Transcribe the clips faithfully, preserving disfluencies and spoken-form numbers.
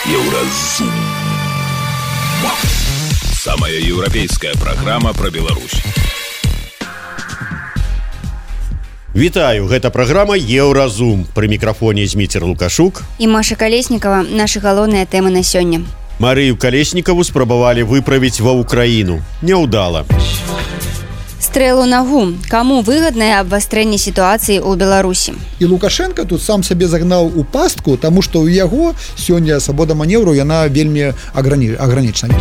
Еўразум. Самая еўрапейская праграма пра Беларусь. Вітаю, гэта праграма Еўразум. Пры мікрафоне Зміцер Лукашук і Маша Калеснікава. Нашы галоўныя тэмы на сёння. Марыю Калеснікаву спрабавалі выправіць ва Ўкраіну. Няўдала. Стрэлу нагу. Каму выгаднае абвастрэнне сітуацыі ў Беларусі? І Лукашенко тут сам сабе загнаў у пастку, таму што ў яго сёння свабода манеўру, яна вельмі агранічана.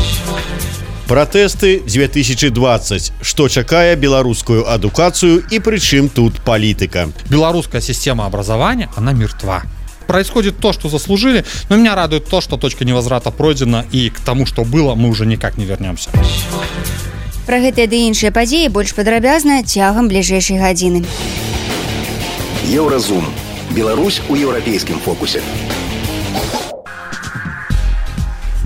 Пратэсты две тысячи двадцать. Што чакае беларускую адукацыю і прычым тут палітыка? Белорусская система образования, она мертва. Происходит то, что заслужили, но меня радует то, что точка невозврата пройдена, и к тому, что было, мы уже никак не вернемся. Пра гэтыя ды іншыя падзеі больш падрабязна цягам бліжэйшай гадзіны. Еўразум. Беларусь у еўрапейскім фокусе.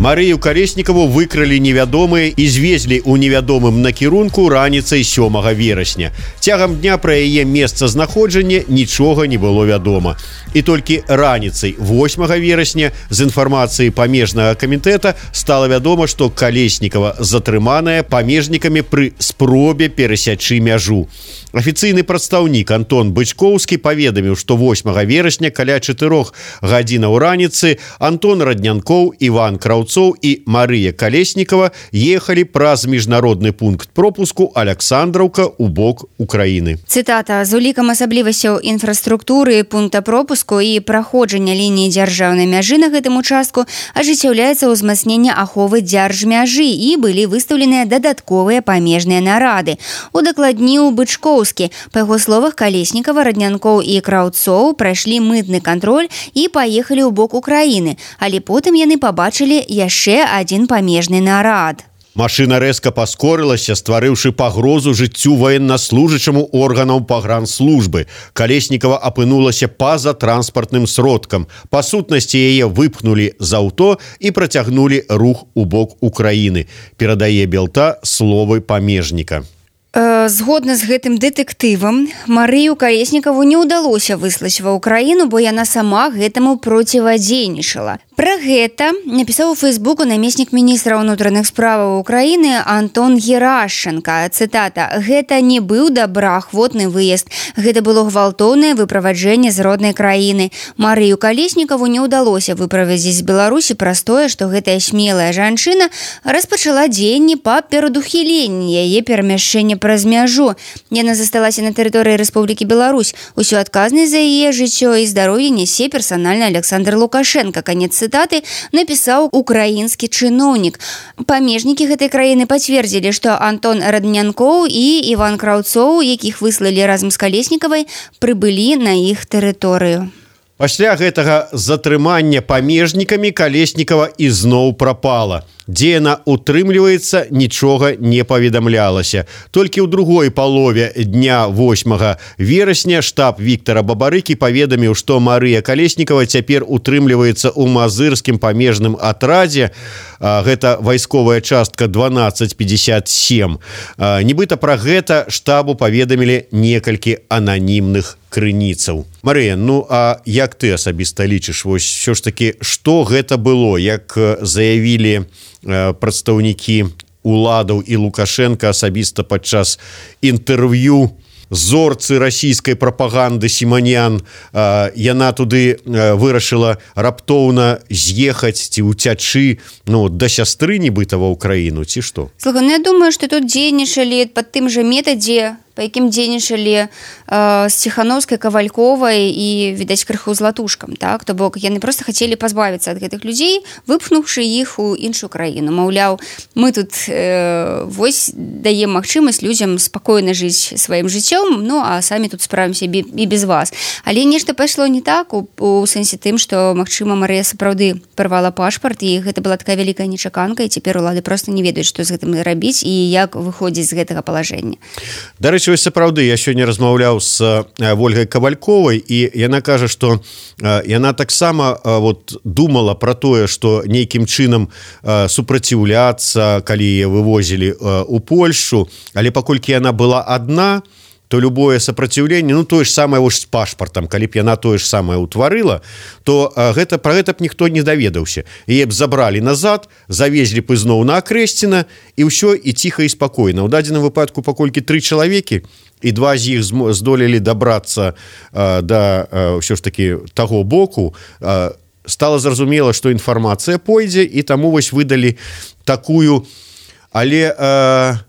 Марыю Калеснікаву выкралі невядомыя і звезлі ў невядомым накірунку раніцай сёмага верасня. Цягам дня пра яе месцазнаходжанне нічога не было вядома. І толькі раніцай восьмага верасня з інфармацыі памежнага камітэта стала вядома, што Калеснікава затрыманая памежнікамі пры спробе перасячы мяжу. Афіцыйны прадстаўнік Антон Бычкоўскі паведаміў, што восьмага верасня каля чатырох гадзінаў раніцы Антон Раднянкоў, Іван Краўцоў і Марыя Калеснікава ехалі праз міжнародны пункт пропуску Аляксандраўка ў бок Украіны. Цытата: «З улікам асаблівасцяў інфраструктуры пункта пропуску і праходжання лініі дзяржаўнай мяжы на гэтым участку ажыццяўляецца ўзмацненне аховы дзяржмяжы і былі выстаўленыя дадатковыя памежныя нарады». Удакладніў Бычкоўскі. Па яго словах, Калеснікава, Раднянкоў і Краўцоў прайшлі мытны кантроль і паехалі ў бок Украіны, але потым яны пабачылі яшчэ адзін памежны нарад. Машына рэзка паскорылася, стварыўшы пагрозу жыццю ваеннаслужачаму органаў пагранслужбы. Калеснікава апынулася па-за транспартным сродкам. Па сутнасці яе выпхнулі з аўто і працягнулі рух у бок Украіны. Перадае Белта словы памежніка. Згодна з гэтым дэтэктывам, Марыю Калеснікаву не ўдалося выслаць ва Ўкраіну, бо яна сама гэтаму процівадзейнічала. Пра гэта напісаў у Фейсбуку намеснік міністра ўнутраных справаў Украіны Антон Герашченка. Цытата: «Гэта не быў добраахвотны выезд. Гэта было гвалтоўнае выправаджэнне з роднай краіны. Марыю Калеснікаву не ўдалося выправязіць з Беларусі праз тое, што гэтая смелая жанчына распачала дзеянні па перадухіленні яе перамяшчэння праз мяжу. Яна засталася на тэрыторыі Рэспублікі Беларусь. Усю адказнасць за яе жыццё і здароўе нясе персанальна Аляксандр Лукашенко». Канец цытаты напісаў украінскі чыноўнік. Памежнікі гэтай краіны пацвердзілі, што Антон Раднянкоў і Іван Краўцоў, якіх выслалі разам з Калеснікавай, прыбылі на іх тэрыторыю. Пасля гэтага затрымання памежнікамі Калеснікава ізноў прапала. Дзе яна утрымліваецца, нічога не паведамлялася. Толькі ў другой палове дня восьмага верасня штаб Віктара Бабарыкі паведаміў, што Марыя Калеснікава цяпер утрымліваецца ў мазырскім памежным атрадзе. Гэта вайсковая частка дванаццаць пятьдесят семь. Нібыта пра гэта штабу паведамілі некалькі ананімных крыніцаў. Марыя, ну а як ты асабіста лічыш, вось ўсё ж такі, што гэта было, як заявілі прадстаўнікі уладаў і Лукашенко асабіста падчас інтэрв'ю зорцы расійскай прапаганды Сіманян, яна туды вырашыла раптоўна з'ехаць ці ўцячы, ну, да сястры нібыта ва Ўкраіну, ці што? Слухай, ну я думаю, што тут дзейнічалі пад тым жа метадзе, па якім дзейнічалі э, з Ціхановскай, Кавальковай і, відаць, крыху златушкам, так? То бок яны проста хацелі пазбавіцца ад гэтых людзей, выпхнуўшы іх у іншую краіну. Маўляў, мы тут э, вось даем магчымасць людзям спакойна жыць сваім жыццём, ну а самі тут справімся і без вас. Але нешта пайшло не так, у, у сэнсе тым, што, магчыма, Марыя сапраўды парвала пашпарт, і гэта была такая вялікая нечаканка, і цяпер улады проста не ведаюць, што з гэтым рабіць і як выходзіць з гэтага палажэння. Дарэчы, вось сапраўды, я сёння размаўляў з Вольгай Кавальковай, і яна кажа, што яна таксама вот думала пра тое, што нейкім чынам супраціўляцца, калі яе вывозілі ў Польшчу, але паколькі яна была адна, то любое сопротивленне, ну тое ж самае вось з пашпартам, калі б яна тое ж самае ўтварыла, то гэта пра гэта б ніхто не даведаўся. Яе б забралі назад, завезлі б ізноў на Акрэсціна, і ўсё, і ціха і спакойна. У дадзеным выпадку, паколькі тры чалавекі, і два з іх здолелі дабрацца а, да а, ўсё ж такі таго боку, а, стала зразумела, што інфармацыя пойдзе, і таму вось выдалі такую, але а,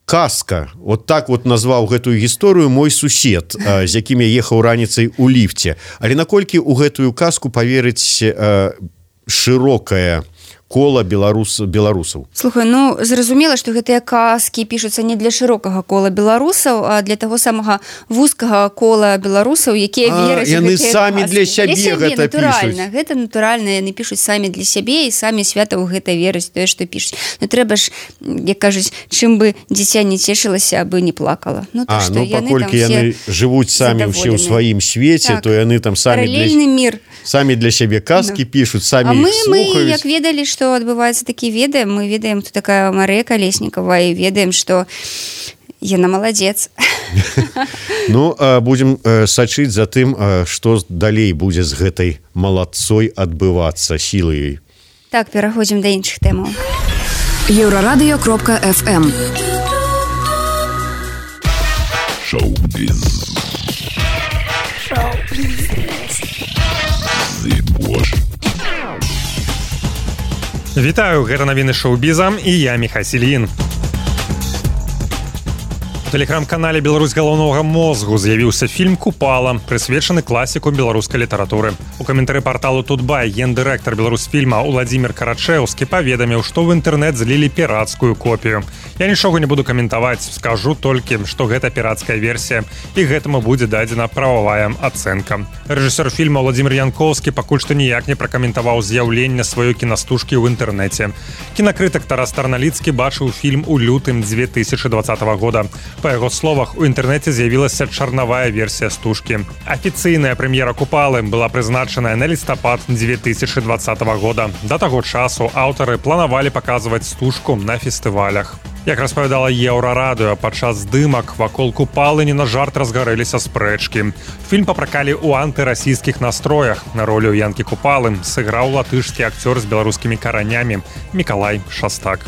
казка, вот так вот назваў гэтую гісторыю мой сусед, а, з якім я ехаў раніцай у ліфце. Але наколькі ў гэтую казку паверыць а, шырокая кола беларус беларусаў. Слухай, ну зразумела, што гэтыя казкі пішуцца не для шырокага кола беларусаў, а для таго самага вузкага кола беларусаў, якія вераць у яны гэтыя самі казкі. для сябе, для сябе гэта натуральна. пішуць. Гэта натуральна, яны пішуць самі для сябе і самі свята ў гэта вераць тое, што пішуць. Ну трэба ж, як кажуць, чым бы дзіця не цешылася, абы не плакала. Ну, то, А, што ну яны паколькі яны жывуць самі ўсе ў сваім свеце, так. то яны там самі Паралельны для, мір. самі для сябе казкі Да. пішуць, самі А мы, іх мы, слухаюць. як ведалі, што адбываецца такі ведаем, мы ведаем, хто такая Марыя Калеснікава, і ведаем, што яна маладзец. Ну, будзем сачыць за тым, што далей будзе з гэтай маладцой адбывацца сілай. Так, пераходзім да іншых тэмаў. Еўрарадыё кропка эф эм. Шоу-біз. Зыбош. Вітаю, гэта навіны шоу-біза, і я Міхась Ільін. У тэлеграм-канале «Беларусь галоўнога мозгу» з'явіўся фільм «Купала», прысвечаны класіку беларускай літаратуры. У каментары парталу «Тутбай» гендырэктар Беларусфільма Уладзімір Карачэўскі паведаміў, што ў інтэрнэт злілі пірацкую копію. Я нічога не буду каментаваць, скажу толькі, што гэта пірацкая версія, і гэтаму будзе дадзена прававая ацэнка. Рэжысёр фільма Уладзімір Янкоўскі пакуль што ніяк не пракаментаваў з'яўленне сваёй кінастужкі ў інтэрнэце. Кінакрытык Тарас Тарналіцкі бачыў фільм у лютым дзве тысячы дваццатага года. Па яго словах, у інтэрнэце з'явілася чарнавая версія стужкі. Афіцыйная прэм'ера «Купалы» была прызначаная на лістапад дзве тысячы дваццатага года. Да таго часу аўтары планавалі паказваць стужку на фестывалях. Як распавядала Еўрарадыё, падчас здымак вакол «Купалы» не на жарт разгарэліся спрэчкі. Фільм папракалі ў антырасійскіх настроях. На ролю Янкі Купалы сыграў латышскі акцёр з беларускімі каранямі Мікалай Шастак.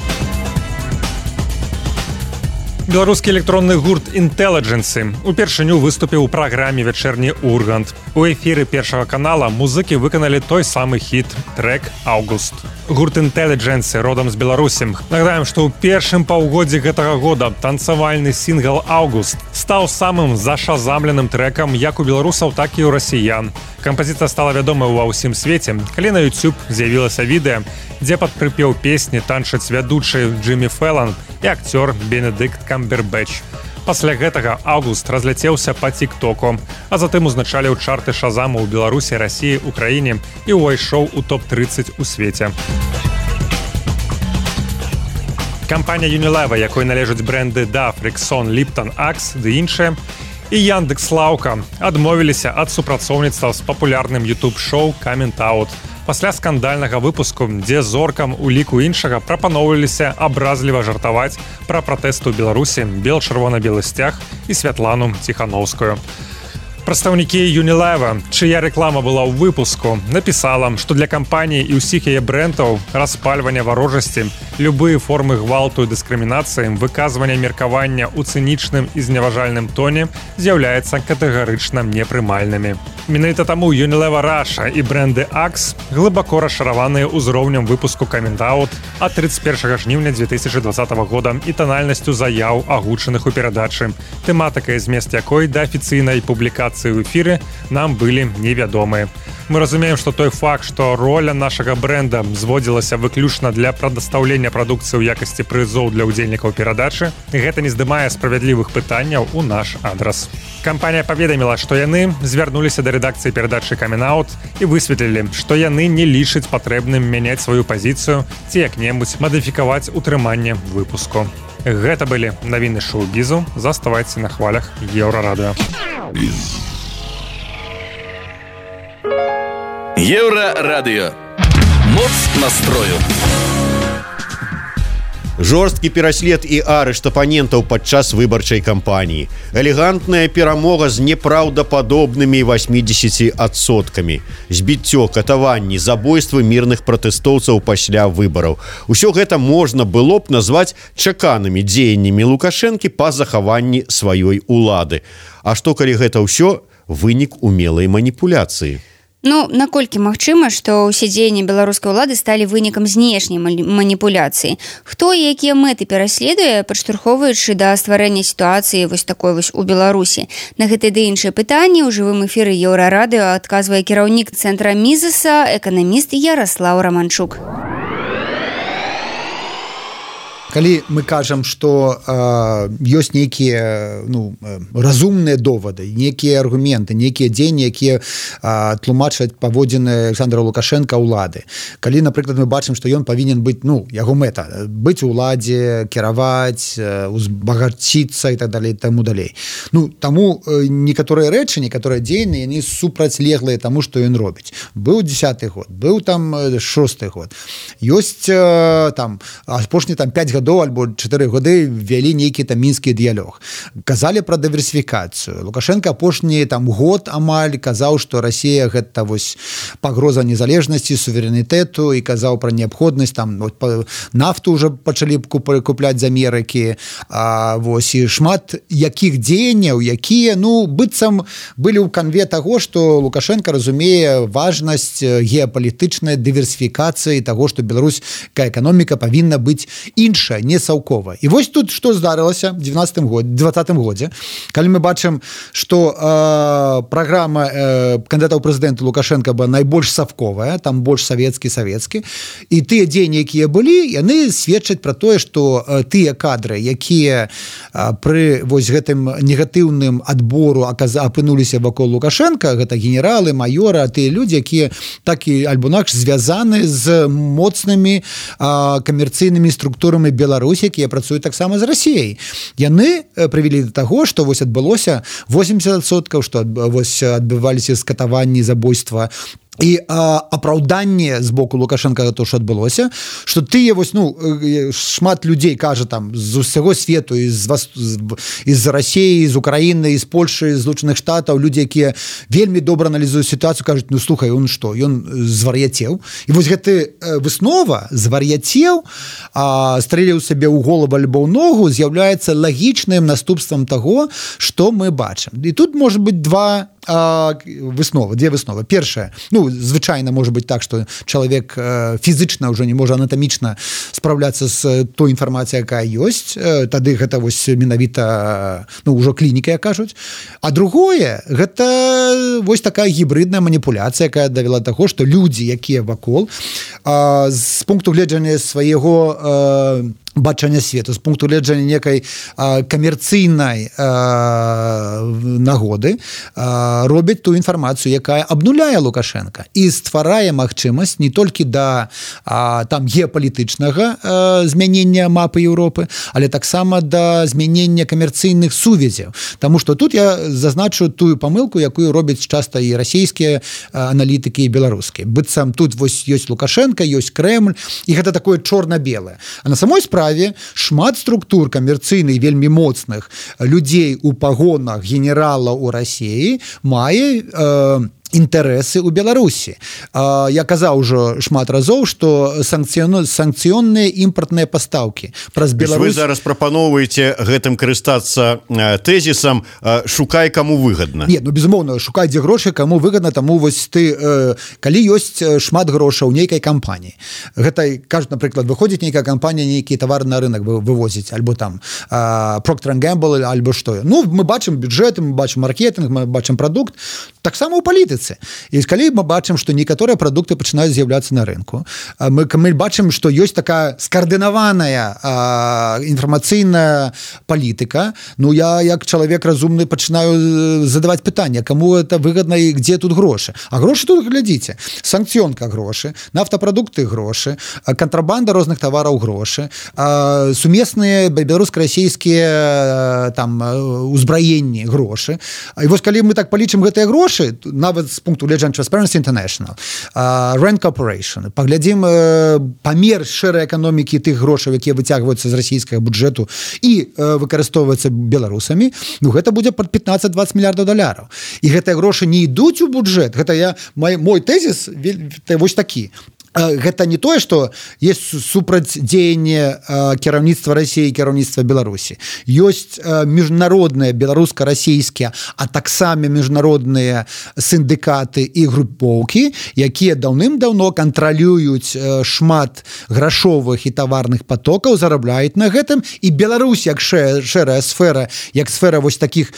Беларускі электронны гурт «Інтэліджэнсы» упершыню выступіў у праграме «Вечерні Ургант». У эфіры першага канала музыкі выканалі той самы хіт трэк «Аўгуст». Гурт «Інтэліджэнсы» родам з Беларусі. Нагадаем, што ў першым паўгоддзі гэтага года танцавальны сінгл «Аўгуст» стаў самым зашазамленым трэкам як у беларусаў, так і ў расіян. Кампазіцыя стала вядомай ува ўсім свеце, калі на YouTube з'явілася відэа, дзе пад прыпеў песні танчаць вядучы Джиммі Фэллан і акцёр Бенедыкт Камбербэтч. Пасля гэтага «Аўгуст» разляцеўся па тік-току, а затым узначаліў чарты шазаму ў Беларусі, Расіі, Украіне і ўвайшоў у топ трыццаць у свеце. Кампанія Unilever, якой належаць брэнды Dove, Rexon, Lipton, Axe ды іншыя, і Яндекс.Лаўка адмовіліся ад супрацоўніцтва з папулярным YouTube-шоу «Coming Out». Пасля скандальнага выпуску, дзе зоркам у ліку іншага прапаноўваліся абразліва жартаваць пра пратэсты ў Беларусі, бел-чырвона-белы сцяг і Святлану Ціхановскую. Прадстаўнікі Unilever, чыя рэклама была ў выпуску, напісала, што для кампаніі і ўсіх яе брэндаў распальвання варожасці, любыя формы гвалту і дыскрымінацыі, выказвання меркавання ў цынічным і зневажальным тоне з'яўляецца катэгарычна непрымальнымі. Менавіта таму Unilever Russia і брэнды Axe глыбако расчараваныя ўзроўнем выпуску Coming Out ад трыццаць першага жніўня дзве тысячы дваццатага года і танальнасцю заяў, агучаных у перадачы, тэматыка і змест якой да афіцыйнай публікацыі ў эфіры нам былі невядомыя. Мы разумеем, што той факт, што роля нашага брэнда зводзілася выключна для прадастаўлення прадукцыі ў якасці прызоў для ўдзельнікаў перадачы, гэта не здымае справядлівых пытанняў у наш адрас. Кампанія паведаміла, што яны звярнуліся да рэдакцыі перадачы Coming Out і высветлілі, што яны не лічаць патрэбным мяняць сваю пазіцыю ці як-небудзь мадыфікаваць утрыманне выпуску. Гэта былі навіны шоу-бізу. Заставайце на хвалях Еўрарадыё. Еўрарадыё. Моц настрою. Жорсткі пераслед і арышт апанентаў падчас выбарчай кампаніі. Элегантная перамога з непраўдападобнымі восьмидесятью адсоткамі. Збіццё, катаванні, забойствы мірных пратэстоўцаў пасля выбараў. Усё гэта можна было б назваць чаканымі дзеяннямі Лукашэнкі па захаванні сваёй улады. А што калі гэта ўсё вынік умелай маніпуляцыі? Ну, наколькі магчыма, што ўсе дзеянні беларускай улады сталі вынікам знешняй маніпуляцыі? Хто і якія мэты пераследуе, падштурхоўваючы да стварэння сітуацыі вось такой вось у Беларусі? На гэтыя ды іншыя пытанні ў жывым эфіры Еўрарадыё адказвае кіраўнік цэнтра Мізеса, эканаміст Яраслаў Раманчук. Калі мы кажам, што э, ёсць нейкія ну, разумныя довады, нейкія аргументы, нейкія дзеянні, якія э, тлумачаць паводзіны Александра Лукашенка ўлады. Калі, напрыклад, мы бачым, што ён павінен быць, ну, яго мэта, быць у ўладзе, кіраваць, узбагаціцца і так далей, таму далей. Ну, таму э, некаторыя рэчы, некаторыя дзеянні, яны супрацьлеглыя таму, што ён робіць. Быў дзесяты год, быў там шосты год. Ёсць э, там, апошні там пяць гадоў альбо чатыры гады ввялі нейкі там мінскі дыялог. Казалі пра дыверсіфікацыю. Лукашенко апошні там год амаль казаў, што Расія гэта вось пагроза незалежнасці, суверэнітэту і казаў пра неабходнасць там вот, нафту ўжо пачалі купляць з Амерыкі. А, вось і шмат якіх дзеянняў, якія ну быццам былі ў канве таго, што Лукашенко разумее важнасць геапалітычнай дыверсіфікацыі таго, што беларуская эканоміка павінна быць іншая, не саўкова. І вось тут што здарылася в двадцатым годзе, калі мы бачым, што э, праграма э, кандыдата ў прэзідэнты Лукашенка была найбольш саўковая, там больш савецкі савецкі, і тыя дзеянні, якія былі, яны сведчаць пра тое, што э, тыя кадры, якія э, пры вось гэтым негатыўным адбору апынуліся вакол Лукашенка, гэта генералы, маёры, тыя людзі, якія так і альбо інакш звязаны з моцнымі э, камерцыйнымі структурамі Беларусі, якія працуюць таксама з Расіяй. Яны прывялі да таго, што вось адбылося восемьдесят адсоткаў, што вось адбываліся скатаванні, забойства і а, апраўданне з боку Лукашенка то, што адбылося, што тыя вось, ну, шмат людзей кажа там з усяго свету, з, з Расіі, з Украіны, з Польшы, з Злучаных Штатаў, людзі, якія вельмі добра аналізуюць сітуацыю, кажуць, ну, слухай, он што, ён звар'яцеў. І вось гэты выснова звар'яцеў, стрэліў сабе ў голову альбо ў ногу, з'яўляецца лагічным наступствам таго, што мы бачым. І тут можа быць два А, высновы, две высновы. Першая, ну, звычайна можа быць так, што чалавек э, фізычна ўжо не можа анатамічна спраўляцца з той інфармацыяй, якая ёсць, э, тады гэта вось менавіта, ну, ўжо клініка, як кажуць. А другое, гэта вось такая гібридная маніпуляцыя, якая давяла да таго, што людзі, якія вакол, э, з пункту гледжання свайго э, бачання свету, з пункту гледжання некай а, камерцыйнай а, нагоды а, робяць ту інфармацыю, якая абнуляе Лукашенка і стварае магчымасць не толькі да а, там геапалітычнага а, змянення мапы Еўропы, але таксама да змянення камерцыйных сувязяў. Таму што тут я зазначу тую памылку, якую робяць часта і расійскія аналітыкі і беларускія. Быццам тут вось ёсць Лукашенка, ёсць Крэмль, і гэта такое чорна-белае. А на самой справе шмат структур камерцыйных вельмі моцных людзей у пагонах генерала ў Расіі мае э, інтарэсы ў Беларусі. А, я казаў ужо шмат разоў, што санкцыён... санкцыённыя імпартныя пастаўкі праз Беларусь... Вы зараз прапаноўваеце гэтым карыстацца тэзісам «шукай, каму выгадна». Не, ну, безумоўна, шукай, дзе грошы, каму выгадна, таму вось ты... Э, калі ёсць шмат грошаў нейкай кампаніі, гэта, кажуць, напрыклад, выходзіць нейкая кампанія, нейкі тавар на рынок вывозіць, альбо там э, Procter энд Gamble, альбо што. Ну, мы бачым бюджэт, мы бачым маркетинг, мы бачым прадукт, таксама ў палітыцы. І калі мы бачым, што некаторыя прадукты пачынаюць з'яўляцца на рынку, мы, мы бачым, што ёсць такая скаардынаваная а, інфармацыйная палітыка, ну я як чалавек разумны пачынаю задаваць пытанне, каму это выгадна і дзе тут грошы. А грошы тут, глядзіце, санкцыёнка грошы, нафтапрадукты грошы, кантрабанда розных тавараў грошы, а, сумесныя беларуска-расійскія там узбраенні грошы. І вось калі мы так палічым гэтыя грошы, нават з пункту гледжання Transparency International, Rand Corporation, паглядзім памер шэрай эканомікі тых грошаў, якія выцягваюцца з расійскага бюджэту і выкарыстоўваюцца беларусамі, ну гэта будзе пад пятнаццаць-дваццаць мільярдаў даляраў. І гэтыя грошы не ідуць у бюджэт. Гэта я мой, мой тэзіс вось такі. Гэта не тое, што есть супрацьдзеянне кіраўніцтва Расіі і кіраўніцтва Беларусі. Ёсць міжнародныя беларуска-расійскія, а таксама міжнародныя сіндыкаты і групоўкі, якія даўным-даўно кантралююць шмат грашовых і таварных потокаў, зарабляюць на гэтым, і Беларусь як шэрая сфера, як сфера вось такіх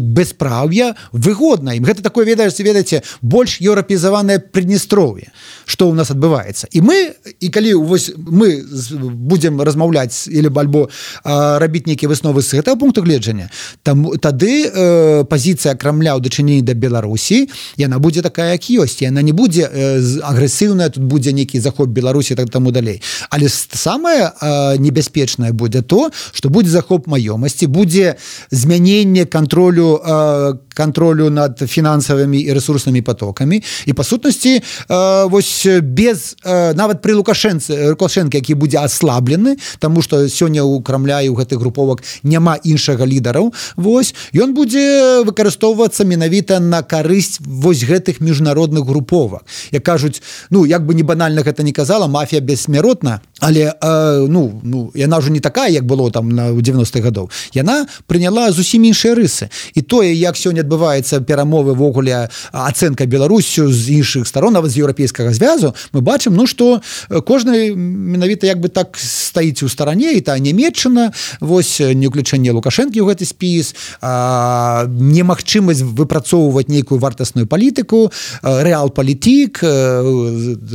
бесправ'я выгодна ім. Гэта такое, ведаеце, ведаеце, больш еўрапезаванае Прыднестров'е, што ў нас адбываецца. І мы, і калі вось мы будзем размаўляць или альбо рабіць нейкія высновы з гэтага пункту гледжання, там тады э, пазіцыя Крамля ў дачыненні да Беларусі, яна будзе такая, як ёсць. Яна не будзе э, агрэсіўная, тут будзе нейкі захоп Беларусі, так таму далей. Але самае э, небяспечнае будзе то, што будзе захоп маёмасці, будзе змяненне кантролю э, кантролю над фінансавымі і рэсурснымі потокамі. І па сутнасці э, вось без э, нават пры Лукашэнцы Лукашэнка, які будзе аслаблены, таму што сёння ў Крамля і ў гэтых груповак няма іншага лідараў, вось ён будзе выкарыстоўвацца менавіта на карысць вось гэтых міжнародных груповак. Як кажуць, ну як бы не банальна гэта не казала, мафія бессмяротна, але э, ну, ну яна ўжо не такая, як было там на ў дзевяностых гадоў. Яна прыняла зусім іншыя рысы. І тое, як сёння адбываецца перамовы вогуле ацэнка Беларусю з іншых старон, нават з еўрапейскага звязу, мы бачым, ну што кожны менавіта як бы так стаіць у старане, і та Нямецчына, вось не ўключэнне Лукашэнкі ў гэты спіс, а, немагчымасць выпрацоўваць нейкую вартасную палітыку, рэал-палітік,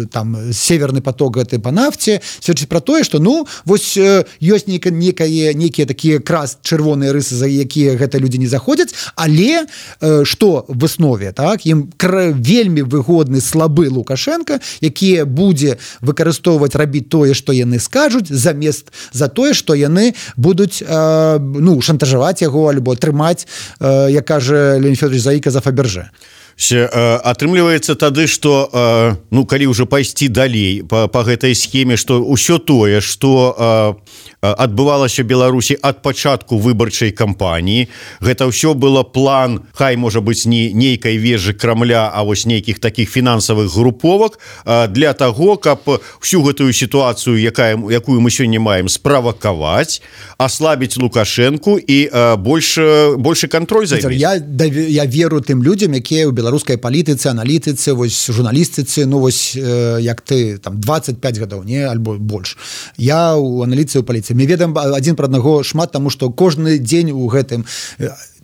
там северны поток гэты па нафце, сведчыць пра тое, што ну вось ёсць нейкая нейкія такія крас чырвоныя рысы, за якія гэта людзі не заходзяць, але што в аснове, так, ім вельмі выгодны слабы Лукашенко, які будзе выкарыстоўваць, рабіць тое, што яны скажуць, замест за тое, што яны будуць э, ну, шантажаваць яго альбо трымаць, э, як кажа Леонид Федорович Заіка, за Фаберже. Атрымліваецца тады, што ну калі ўжо пайсці далей па, па гэтай схеме, што ўсё тое, што адбывалася Беларусі ад пачатку выбарчай кампаніі, гэта ўсё было план, хай можа быць не нейкай вежы Крамля, а вось нейкіх такіх фінансавых груповак для таго, каб всю гэтую сітуацыю, якая, якую мы сёння маем, справакаваць, аслабіць Лукашэнку і больше, больше кантроль за ім. Я, я веру тым людзям, якія ў беларускай палітыцы, аналітыцы, вось журналістыцы, ну вось э, як ты там двадцать пять гадоў, не, альбо больш. Я ў аналітыцы, ў паліцыі. Мы ведаем адзін пра аднаго шмат, таму што кожны дзень у гэтым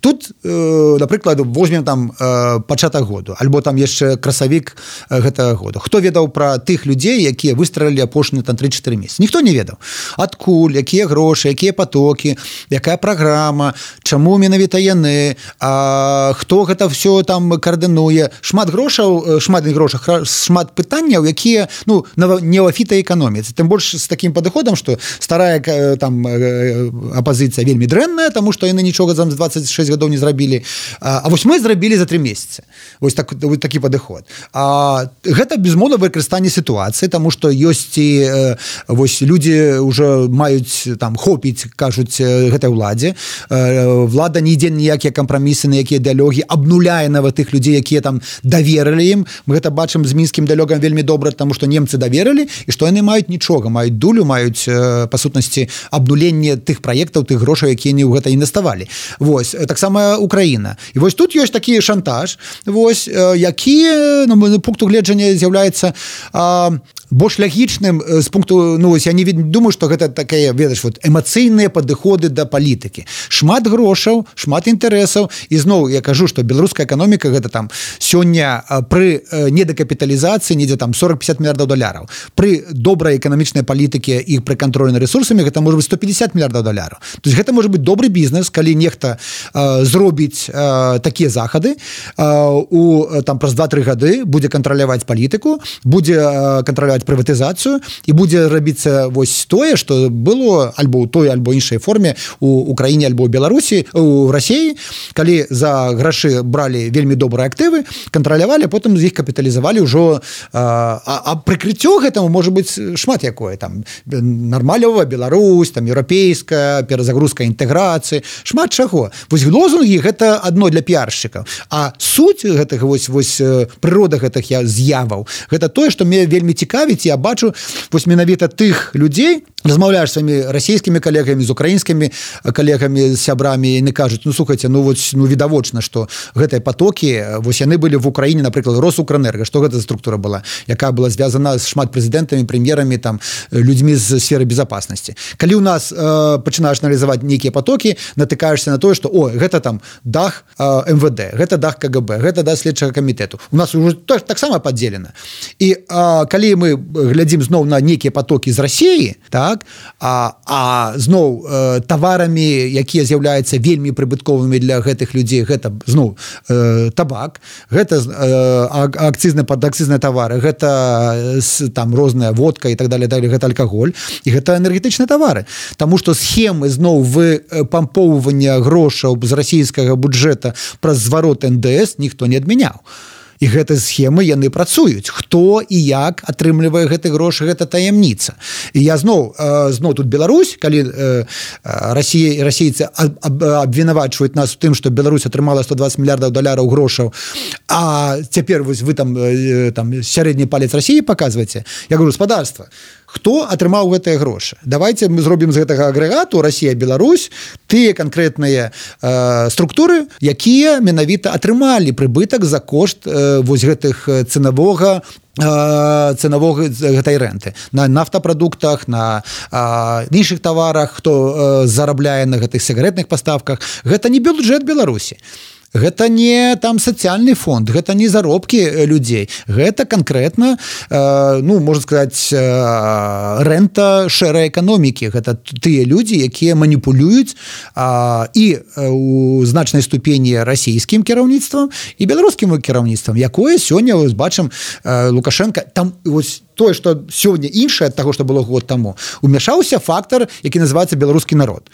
тут, э, напрыклад, возьмем там э, пачатак году, альбо там яшчэ красавік э, гэтага года. Хто ведаў пра тых людзей, якія выстралілі апошнія там тры-чатыры месяцы? Ніхто не ведаў. Адкуль, якія грошы, якія потокі, якая праграма, чаму менавіта яны, а, хто гэта все там каардынуе. Шмат грошаў, шмат не грошах, шмат пытанняў, якія ну, не ў фітаэканоміцы. Тым больш з такім падыходам, што старая там апазіцыя вельмі дрэнная, таму што яны нічога за двадцать шесть гадоў не зрабілі. А, а вось мы зрабілі за тры месяцы. Вось так, вось такі падыход. А, гэта безумоўна выкарыстанне сітуацыі, таму што ёсць і э, вось людзі ўжо маюць там хопіць, кажуць, гэтай уладзе. Э, влада не ідзе ніякія кампрамісы, на якія дыалогі, абнуляе нават тых людзей, якія там даверылі ім. Мы гэта бачым з мінскім дыалогам вельмі добра, таму што немцы даверылі, і што яны маюць нічога, маюць дулю, маюць э, па сутнасці абнуленне тых праектаў, тых грошай, якія не ў гэта інвеставалі. Вось, таксама Украіна. І вось тут ёсць такі шантаж, вось, які, на мой пункту гледжання, з'яўляецца а, больш лагічным з пункту, ну, вось, я не думаю, што гэта такая, ведаеш, вот, эмацыйныя падыходы да палітыкі. Шмат грошаў, шмат інтарэсаў, і зноў я кажу, што беларуская эканоміка гэта там сёння пры недакапіталізацыі недзе там сорок-пятьдесят мільярдаў даляраў. Пры добрай эканамічнай палітыкі і пры кантролі над рэсурсамі гэта можа быць сто пятьдесят мільярдаў даляраў. То есть гэта можа быць добры бізнес, калі нехта э, зробіць э, такія захады, э, у там праз два-тры гады будзе кантраляваць палітыку, будзе э, кантраляваць пачынаць прыватызацыю і будзе рабіцца вось тое, што было альбо ў той альбо іншай форме у Украіне альбо ў Беларусі, у Расіі, калі за грашы бралі вельмі добрыя актывы, кантралявалі, потым з іх капіталізавалі ўжо, а, а прыкрыццё гэтаму можа быць шмат якое, там нармалёва Беларусь, там еўрапейская перазагрузка інтэграцыі, шмат чаго. Вось лозунгі гэта адно для піаршчыкаў, а суть гэтых вось вось прырода гэтых я з'яваў, гэта тое, што мне вельмі цікавіць, я бачу вось менавіта тых людзей, размаўляеш з сваімі расійскімі калегамі, з украінскімі калегамі, з сябрамі, і яны кажуць, ну слухайце, ну вось ну відавочна, што гэтыя потокі, вось яны былі в Украіне, напрыклад, Росукрэнерго, што гэта за структура была, якая была звязана з шмат прэзідэнтамі, прэм'ерамі, там людзьмі з сферы безопасности. Калі у нас э, пачынаеш аналізаваць нейкія потокі, натыкаешься на тое, што о, гэта там дах э, эм вэ дэ, гэта дах ка гэ бэ, гэта дах следчага камітэту. У нас уже так, таксама падзелена. І э, калі мы глядзім зноў на нейкія потокі з Расіі, так, а, а зноў э, таварамі, якія з'яўляюцца вельмі прыбытковымі для гэтых людзей, гэта зноў э, табак, гэта э, акцызны падакцызныя тавары, гэта там розная водка і так далее, далее, гэта алкаголь, і гэта энергетычныя тавары. Таму што схемы зноў выпампоўвання грошаў з расійскага бюджэта праз зварот эн дэ эс ніхто не адмяняў. І гэты схемы яны працуюць. Хто і як атрымлівае гэты грошы, гэта таямніца. І я зноў, зноў тут Беларусь, калі Расія, расійцы абвінавачваюць нас у тым, што Беларусь атрымала сто двадцать мільярдаў даляраў грошаў, а цяпер вось вы там, там сярэдні палец Расіі паказваеце. Я говорю, гаспадарства, хто атрымаў гэтыя грошы? Давайте мы зробім з гэтага агрэгату Расія, Беларусь, тыя канкрэтныя э, структуры, якія менавіта атрымалі прыбытак за кошт э, вось гэтых цэнавога цэнавога гэтай рэнты. На нафтапрадуктах, на а, іншых таварах, хто а, зарабляе на гэтых сігарэтных паставках. Гэта не бюджэт Беларусі. Гэта не там сацыяльны фонд, гэта не заробкі людзей, гэта канкрэтна, э, ну, можна сказаць, э, рэнта шэрай эканомікі, гэта тыя людзі, якія маніпулююць э, і у значнай ступені расійскім кіраўніцтвам і беларускім кіраўніцтвам, якое сёння вось бачым э, Лукашенко, там вось тое, што сёння іншае ад таго, што было год таму, умяшаўся фактар, які называецца беларускі народ.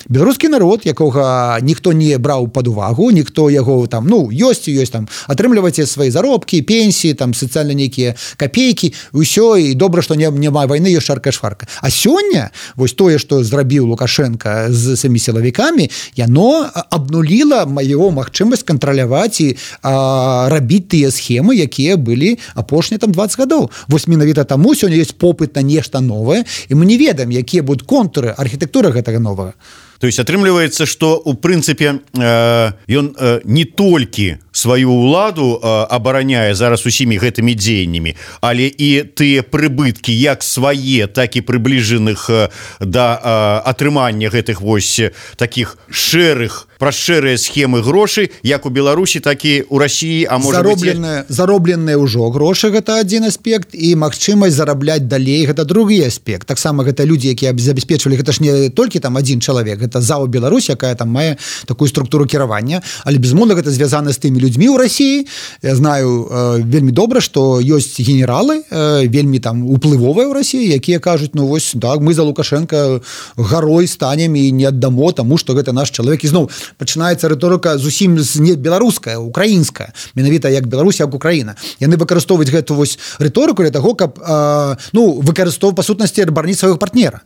Беларускі народ, якога ніхто не браў пад увагу, ніхто яго там, ну, ёсць і ёсць там, атрымлівайце свае заробкі, пенсіі, там, сацыяльна нейкія капейкі, ўсё, і добра, што не, няма вайны, ёсць шарка-шварка. А сёння, вось тое, што зрабіў Лукашенко з самі сілавікамі, яно абнуліла маё магчымасць кантраляваць і а, рабіць тыя схемы, якія былі апошнія там двадцать гадоў. Вось менавіта таму сёння ёсць попыт на нешта новае, і мы не ведаем, якія будуць контуры, архітэктура гэтага новага. То есть атрымліваецца, што у прынцыпе э, ён э, не толькі сваю ўладу э, абараняе зараз усімі гэтымі дзеяннямі, але і тыя прыбыткі як свае, так і прыбліжаных э, да э, атрымання гэтых вось такіх шэрых, праз шэрыя схемы грошай, як у Беларусі, так і у Расіі, а можа заробленыя, быць... заробленыя ўжо грошы, гэта адзін аспект, і магчымасць зарабляць далей, гэта другі аспект. Таксама гэта людзі, якія забяспечвалі, гэта ж не толькі там адзін чалавек, это ЗАО Беларусь, якая там мае такую структуру кіравання, але безумоўна гэта звязана з тымі людзьмі ў Расіі. Я знаю э, вельмі добра, што ёсць генералы э, вельмі там уплывовыя ў Расіі, якія кажуць, ну вось так, мы за Лукашенко гарой станем і не аддамо, таму што гэта наш чалавек. І зноў пачынаецца рыторыка зусім не беларуская, украінская, менавіта як Беларусь, як Украіна. Яны выкарыстоўваюць гэту вось рыторыку для таго, каб э, ну выкарыстоўваць па сутнасці абараніць свайго партнера.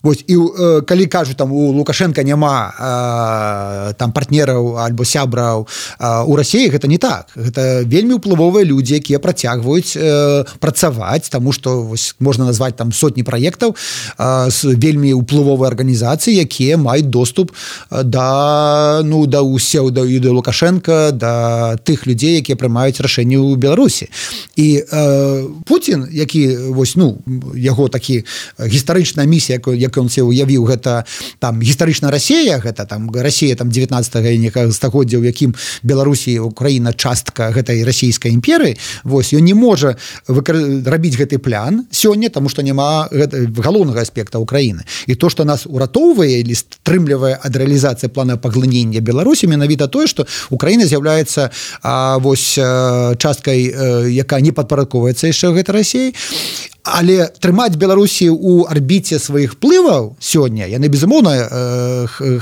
Вось, і э, калі кажуць, там у Лукашенка няма э, там партнераў альбо сябраў э, у Расіі, гэта не так. Гэта вельмі ўплывовыя людзі, якія працягваюць э, працаваць, таму што вось можна назваць там сотні праектаў э, з вельмі ўплывовай арганізацыі, якія маюць доступ да ну да усеў да, да Лукашенка, да тых людзей, якія прымаюць рашэнні ў Беларусі. І э, Путін, які вось ну яго такі гістарычная місія, якую ён се уявіў, гэта там гістарычная Расія, гэта там Расія там дзевятнаццатага стагоддзя, у якім Беларусі, Украіна частка гэтай расійскай імперыі. Вось ён не можа выкар... рабіць гэты план сёння, таму што няма гэта, галоўнага аспекта Украіны. І то, што нас уратоўвае или стрымлівае ад рэалізацыі плана паглынення Беларусі, менавіта тое, што Украіна з'яўляецца а, вось часткай, якая не падпарадковаецца яшчэ гэтай Расіі. але трымаць Беларусі ў арбіце сваіх плываў сёння яны безумоўна э,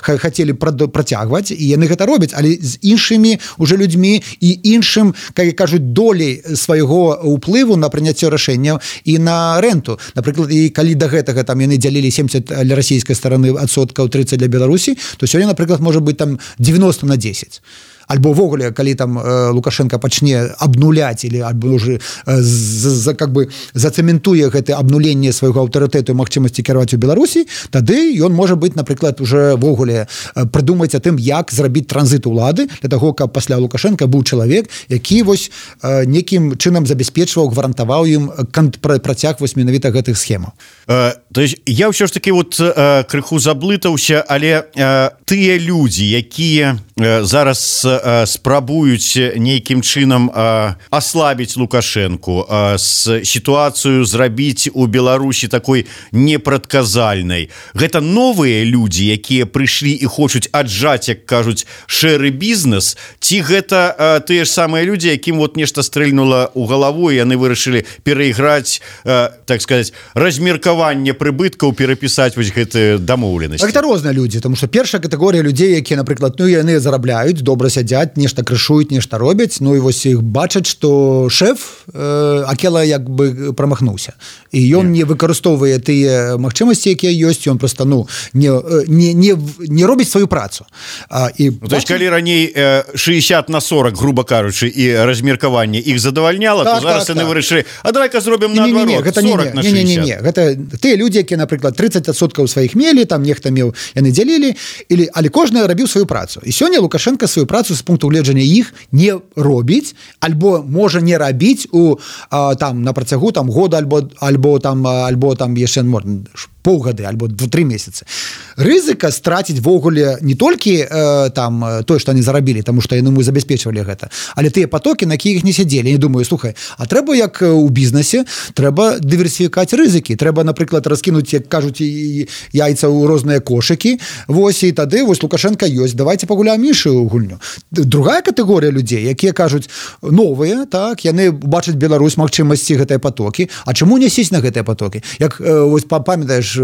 хацелі працягваць і яны гэта робяць, але з іншымі уже людзьмі і іншым, как кажуць, долей свайго ўплыву на прыняцце рашэнняў і на рэнту. Напрыклад, і калі да гэтага там яны дзялілі семьдесят для расійскай стараны адсоткаў, тридцать для Беларусі, то сёння, напрыклад, можа быць там девяносто на десять. Альбо ввогуле, калі там э, Лукашенко пачне абнуляць или альбо уже э, за, как бы зацэментуе гэта абнуленне свайго аўтарытэту і магчымасці кіраваць у Беларусі, тады ён можа быць, напрыклад, уже ввогуле э, прыдумаць о тым, як зрабіць транзит улады для того, каб пасля Лукашенко быў чалавек, які вось э, некім чынам забяспечваў, гарантаваў ім працяг вось менавіта гэтых схемаў. Э, то есть я ўсё ж таки вот э, крыху заблытаўся, але э, тыя людзі, якія э, зараз спрабуюць нейкім чынам аслабіць Лукашенку, з сітуацыю зрабіць у Беларусі такой непрадказальнай. Гэта новыя людзі, якія прыйшлі і хочуць аджаць, як кажуць, шэры бізнес, ці гэта тыя ж самыя людзі, якім вот нешта стрэльнула ў галаву, і яны вырашылі перайграць, так сказать, размеркаванне прыбыткаў, перапісаць вось гэтыя дамоўленасці. Гэта розныя людзі, тому што першая катэгорыя людзей, якія, напрыклад, ну яны зарабляюць, добра сядзяць, нешта крышуюць, нешта робяць, ну і вось іх бачаць, што шэф э, Акела як бы прамахнуўся. І ён не выкарыстоўвае тыя магчымасці, якія ёсць, ён проста ну не, не, не, не робіць сваю працу. А, і ну, то есть, калі раней э, шестьдесят на сорок, грубо кажучы, і размеркаванне іх задавальняла, так, то зараз так, яны так. вырашылі, а давай-ка зробім наадварот, сорок на шестьдесят. Не, не, не, гэта тыя людзі, якія, напрыклад, тридцать адсоткаў сваіх мелі, там нехта меў, яны дзялілі, или, але кожны рабіў сваю працу. І сёння Лукашенко сваю працу з пункту гледжання іх не робіць, альбо можа не рабіць у а, там на працягу там года альбо альбо там альбо там яшчэ можна паўгады альбо два-тры месяцы. Рызыка страціць ввогуле не толькі э, там тое, што яны зарабілі, таму што яны мы забяспечвалі гэта, але тыя потокі, на якіх не сядзелі. Я думаю, слухай, а трэба як у бізнесе, трэба дыверсіфікаць рызыкі, трэба, напрыклад, раскінуць, як кажуць, яйца ў розныя кошыкі. Вось і тады вось Лукашенко ёсць, давайте пагуляем іншую гульню. Другая катэгорыя людзей, якія кажуць новыя, так, яны бачаць Беларусь магчымасці гэтыя потокі. А чаму не сесть на гэтыя потокі? Як э, вось памятаеш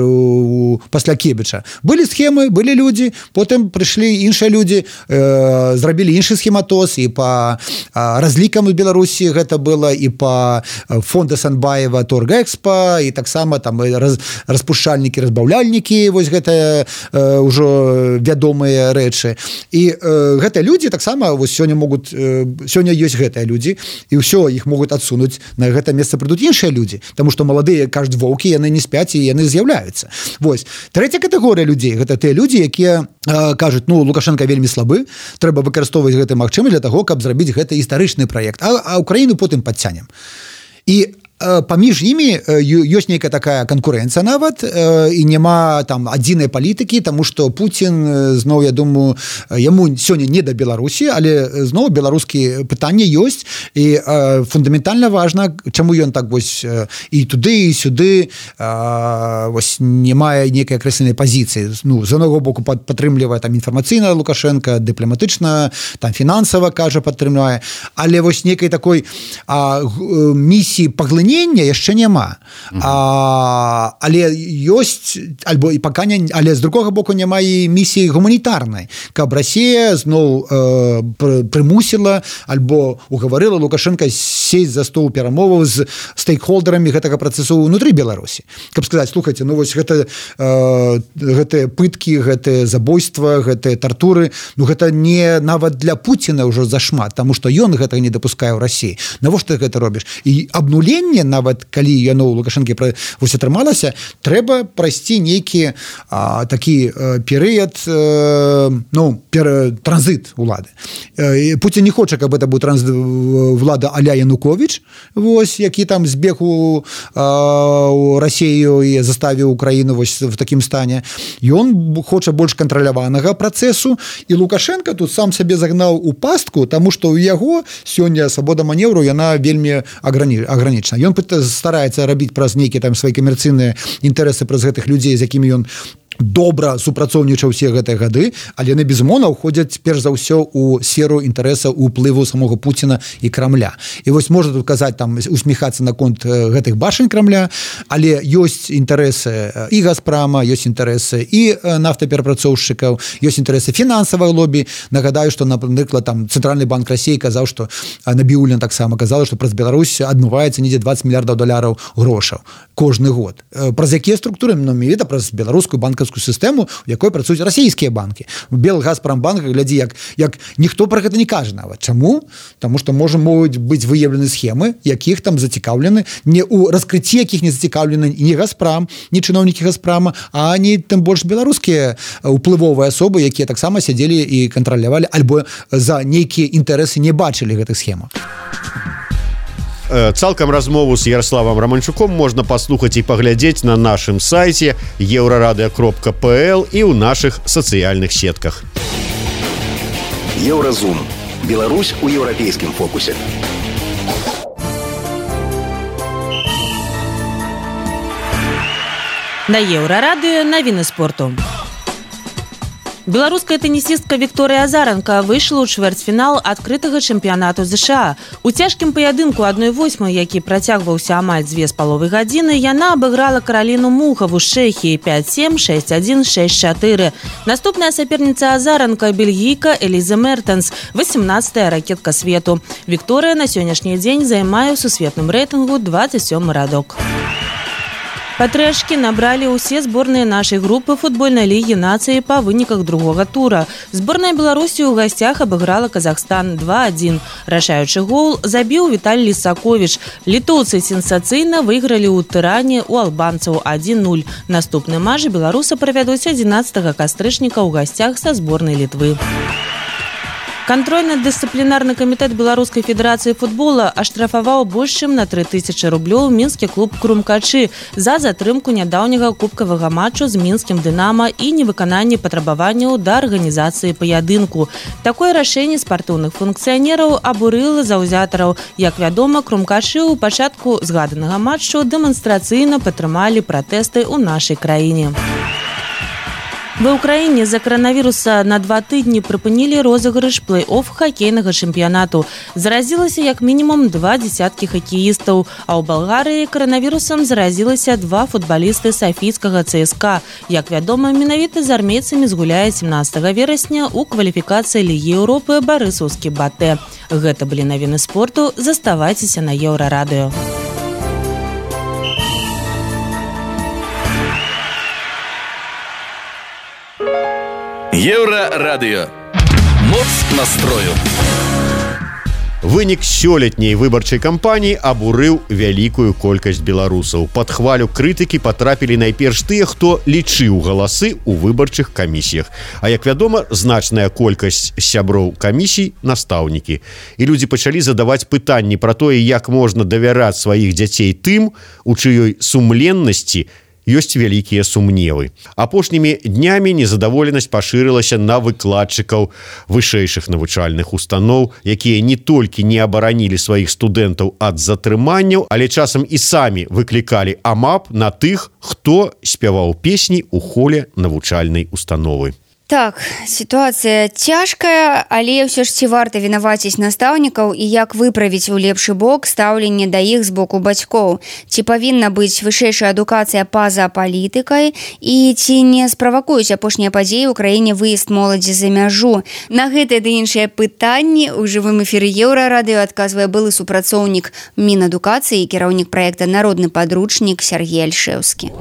пасля Кебіча былі схемы, былі людзі, потым прыйшлі іншыя людзі, э, зрабілі іншы схематоз, і па э, разлікам у Беларусі гэта было, і па фонда Санбаева Торгэкспа, і таксама там раз, распушчальнікі, разбаўляльнікі, вось гэта э, ўжо вядомыя рэчы. І э, гэтыя людзі таксама вось сёння могуць, э, сёння ёсць гэтыя людзі, і ўсё, іх могуць адсунуць, на гэта месца прыйдуць іншыя людзі, таму што маладыя, кажуць, воўкі, яны не спяць, і яны з'яўляюцца. Вось. Трэця катэгорыя людзей, гэта тыя людзі, якія э, кажуць, ну, Лукашенко вельмі слабы, трэба выкарыстоўваць гэты магчымасць для таго, каб зрабіць гэты гістарычны праект, а, а Украіну потым падцянем. І паміж імі ёсць нейкая такая канкурэнцыя нават, і няма там адзінай палітыкі, таму што Пуцін зноў, я думаю, яму сёння не да Беларусі, але зноў беларускі пытанне ёсць, і фундаментальна важна, чаму ён так вось і туды, і сюды вось не мае нейкай акрэсленай пазіцыі. Ну, з однаго боку падтрымлівае там інфармацыйна Лукашенко, дыпламатычна, там фінансава, кажа, падтрымляе, але вось нейкай такой а, місіі паглынення яшчэ няма. Mm-hmm. А, але ёсць, альбо і пака не, але з другога боку няма і місіі гуманітарнай, каб Расія зноў э, прымусіла альбо угаварыла Лукашенко сесть за стол перамоваў з стейкхолдерамі гэтага працэсу ўнутры Беларусі. Каб сказаць, слухайце, ну вось гэта э, гэтыя пыткі, гэтыя забойства, гэтыя тартуры, ну гэта не нават для Пуціна ўжо зашмат, таму што ён гэтага не дапускае ў Расіі. Навошта ты гэта робіш? І абнуленне, нават калі яно ў Лукашэнкі вось атрымалася, трэба прайсці нейкі а, такі а, перыяд, а, ну, пер, транзит улады. А, Пуцін не хоча, каб это быў транзит влада а-ля Янукович, вось, які там збег у, а, у Расію і заставіў Украіну вось в такім стане. Ён хоча больш кантраляванага працэсу, і Лукашенко тут сам сабе загнаў у пастку, таму што ў яго сёння свабода манеўру, яна вельмі агранічана. Ён стараецца рабіць праз нейкія там свае камерцыйныя інтарэсы праз гэтых людзей, з якімі ён добра супрацоўнічаў усе гэтыя гады, але яны безумоўна ўходзяць перш за ўсё у сферу інтарэса уплыву самога Пуціна і Крамля. І вось можна тут казаць там усміхацца наконт гэтых башань Крамля, але ёсць інтарэсы і Газпрама, ёсць інтарэсы і нафтаперапрацоўшчыкаў, ёсць інтарэсы фінансавай лобі. Нагадаю, што напрыклад там цэнтральны банк Расіі казаў, што Набіуллін таксама казала, што праз Беларусь адмываецца недзе дваццаць мільярдаў даляраў грошаў кожны год. Праз якія структуры? Ну, менавіта праз беларускую банкаўскую сістэму, у якой працуюць расійскія банкі. Белгазпромбанк, глядзі, як, як ніхто пра гэта не кажа нават. Чаму? Таму што можа могуць быць выяўлены схемы, якіх там зацікаўлены, не ў раскрыцці якіх не зацікаўлены ні Газпрам, ні чыноўнікі Газпрама, а не тым больш беларускія уплывовыя асобы, якія таксама сядзелі і кантралявалі, альбо за нейкія інтарэсы не бачылі гэтых схемаў. Цалкам размову з Ярославам Романчуком можна паслухаць і паглядзець на нашым сайце еўрарадыё кропка пл і ў нашых сацыяльных сетках. Еўразум. Беларусь у еўрапейскім фокусе. На Еўрарадыё навіны спорту. Беларуская тенісістка Вікторыя Азаранка выйшла ў чвэрцьфінал адкрытага чэмпіянату ЗША. У цяжкім паядынку адной восьмай, які працягваўся амаль дзве з паловай гадзіны, яна абыграла Караліну Мухаву з Чэхіі пяць сем, шэсць адзін, шэсць чатыры. Наступная саперніца Азаранка – бельгійка Эліза Мертенс, васемнаццатая ракетка свету. Вікторыя на сённяшні дзень займае ў сусветным рэйтынгу дваццаць сёмы радок. Па тры ачкі набралі ўсе зборныя нашай групы футбольнай лігі нацыі па выніках другога тура. Зборная Беларусі ў гасцях абыграла Казахстан два адзін. Рашаючы гол забіў Віталій Лісаковіч. Літоўцы сенсацыйна выйгралі ў Тыране ў албанцаў адзін нуль. Наступны матч беларусы правядуць адзінаццатага кастрычніка ў гасцях са зборнай Літвы. Кантрольна-дысцыплінарны камітэт Беларускай федэрацыі футбола аштрафаваў больш чым на тры тысячы рублёў мінскі клуб Крумкачы за затрымку нядаўняга кубкавага матчу з мінскім Дынама і невыкананне патрабаванняў да арганізацыі паядынку. Такое рашэнне спартыўных функцыянераў абурыла заўзятараў. Як вядома, Крумкачы ў пачатку згаданага матчу дэманстрацыйна падтрымалі пратэсты ў нашай краіне. Ва ўкраіне з-за каранавіруса на два тыдні прыпынілі розыгрыш плэй-офф хакейнага чэмпіянату. Заразілася як мінімум два дзесяткі хакеістаў, а ў Балгарыі каранавірусам заразілася два футбалісты сафійскага цска. Як вядома, менавіта з армейцамі згуляе семнаццатага верасня ў кваліфікацыі Лігі Еўропы барысаўскі Батэ. Гэта былі навіны спорту. Заставайцеся на Еўрарадыё. Еўрарадыё. Моц настрою. Вынік сёлетняй выбарчай кампаніі абурыў вялікую колькасць беларусаў. Пад хвалю крытыкі патрапілі найперш тыя, хто лічыў галасы ў выбарчых камісіях. А як вядома, значная колькасць сяброў камісій настаўнікі. І людзі пачалі задаваць пытанні пра тое, як можна давяраць сваіх дзяцей тым, у чыёй сумленнасці ёсць вялікія сумневы. Апошнімі днямі незадаволенасць пашырылася на выкладчыкаў вышэйшых навучальных устаноў, якія не толькі не абаранілі сваіх студэнтаў ад затрыманняў, але часам і самі выклікалі амап на тых, хто спяваў песні ў холе навучальнай установы. Так, сітуацыя цяжкая, але ўсё ж ці варта вінаваціць настаўнікаў і як выправіць у лепшы бок стаўленне да іх з боку бацькоў? Ці павінна быць вышэйшая адукацыя па-за палітыкай? І ці не справакуюць апошнія падзеі ў краіне выезд моладзі за мяжу? На гэтыя ды іншыя пытанні ў жывым эфіры Еўрарадыё адказвае былы супрацоўнік Мінадукацыі і кіраўнік праекта «Народны падручнік» Сергей Альшэўскі.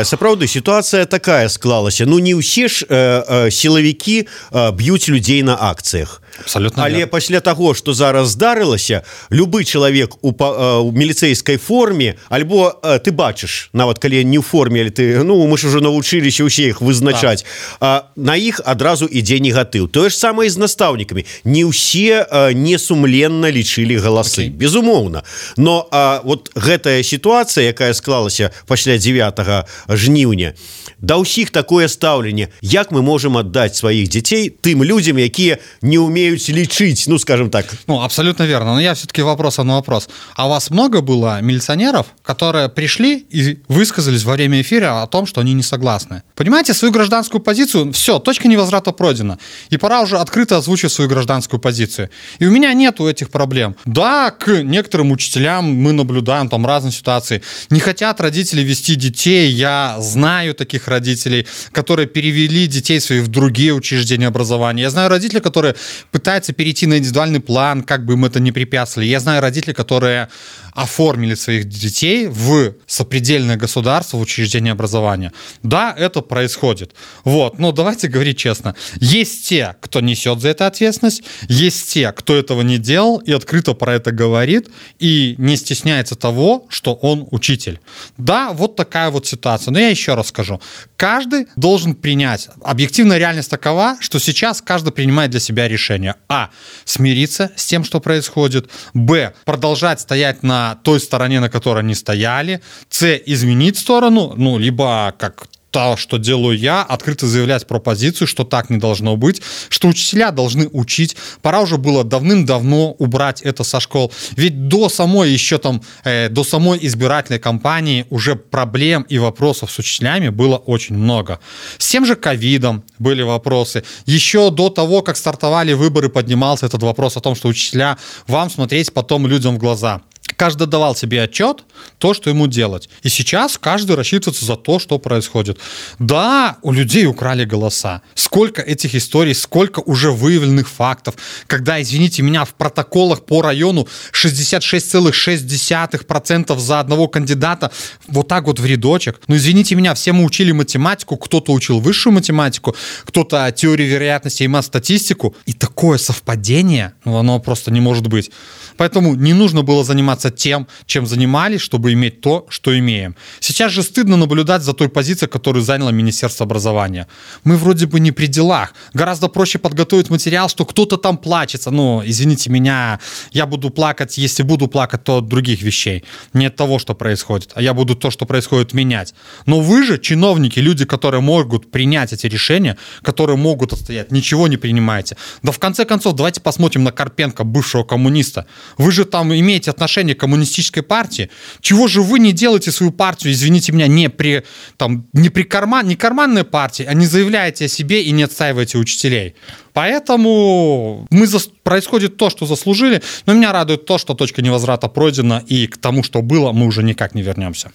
Сапраўды, сітуацыя такая склалася. Ну, не ўсе ж э, э, сілавікі э, б'юць людзей на акцыях. Абсолютно. Але нет. пасля таго, што зараз здарылася, любы чалавек у, э, у міліцэйскай форме, альбо э, ты бачыш, нават калі не ў форме, але ты, ну, мы ж ужо навучыліся ўсе іх вызначаць, а на іх адразу ідзе негатыў. Тое ж самае з настаўнікамі. Не ўсе э, несумленна лічылі галасы. Okay. Безумоўна. Но э, вот гэтая сітуацыя, якая склалася пасля дзевятага жніўня. Да ўсіх такое стаўленне, як мы можем аддаць сваіх дзяцей тым людзям, якія не умеюць лічыць, ну скажем так. Ну абсолютно верно, но я все-таки вопрос на вопрос. А у вас много было милиционеров, которые пришли и высказались во время эфира о том, что они не согласны? Понимаете, свою гражданскую позицию, все, точка невозврата пройдена, и пора уже открыто озвучить свою гражданскую позицию. И у меня нету этих проблем. Да, к некоторым учителям мы наблюдаем там разные ситуации. Не хотят родители вести детей, я знаю таких родителей, которые перевели детей своих в другие учреждения образования. Я знаю родителей, которые пытаются перейти на индивидуальный план, как бы им это не препятствовали. Я знаю родителей, которые оформили своих детей в сопредельное государство, в учреждение образования. Да, это происходит. Вот. Но давайте говорить честно. Есть те, кто несет за это ответственность, есть те, кто этого не делал и открыто про это говорит, и не стесняется того, что он учитель. Да, вот такая вот ситуация. Но я еще раз скажу. Каждый должен принять. Объективная реальность такова, что сейчас каждый принимает для себя решение. А. Смириться с тем, что происходит. Б. Продолжать стоять на той стороне, на которой они стояли. С. Изменить сторону. Ну, либо как то, что делаю я, открыто заявлять про позицию, что так не должно быть, что учителя должны учить. Пора уже было давным-давно убрать это со школ. Ведь до самой еще там, э, до самой избирательной кампании уже проблем и вопросов с учителями было очень много. С тем же ковидом были вопросы. Еще до того, как стартовали выборы, поднимался этот вопрос о том, что учителя, вам смотреть потом людям в глаза. Каждый давал себе отчет, то, что ему делать. И сейчас каждый рассчитывается за то, что происходит. Да, у людей украли голоса. Сколько этих историй, сколько уже выявленных фактов, когда, извините меня, в протоколах по району шестьдесят шесть целых шесть десятых процента за одного кандидата вот так вот в рядочек. Ну, извините меня, все мы учили математику, кто-то учил высшую математику, кто-то теорию вероятности и мат-статистику. И такое совпадение, ну, оно просто не может быть. Поэтому не нужно было заниматься тем, чем занимались, чтобы иметь то, что имеем. Сейчас же стыдно наблюдать за той позицией, которую заняло Министерство образования. Мы вроде бы не при делах. Гораздо проще подготовить материал, что кто-то там плачется. Ну, извините меня, я буду плакать, если буду плакать, то от других вещей. Не от того, что происходит, а я буду то, что происходит, менять. Но вы же, чиновники, люди, которые могут принять эти решения, которые могут отстоять, ничего не принимаете. Да в конце концов, давайте посмотрим на Карпенко, бывшего коммуниста. Вы же там имеете отношение к коммунистической партии. Чего же вы не делаете свою партию, извините меня, не при, там, не при карман, не карманной партии, а не заявляете о себе и не отстаиваете учителей? Поэтому мы за... происходит то, что заслужили, но меня радует то, что точка невозврата пройдена, и к тому, что было, мы уже никак не вернемся.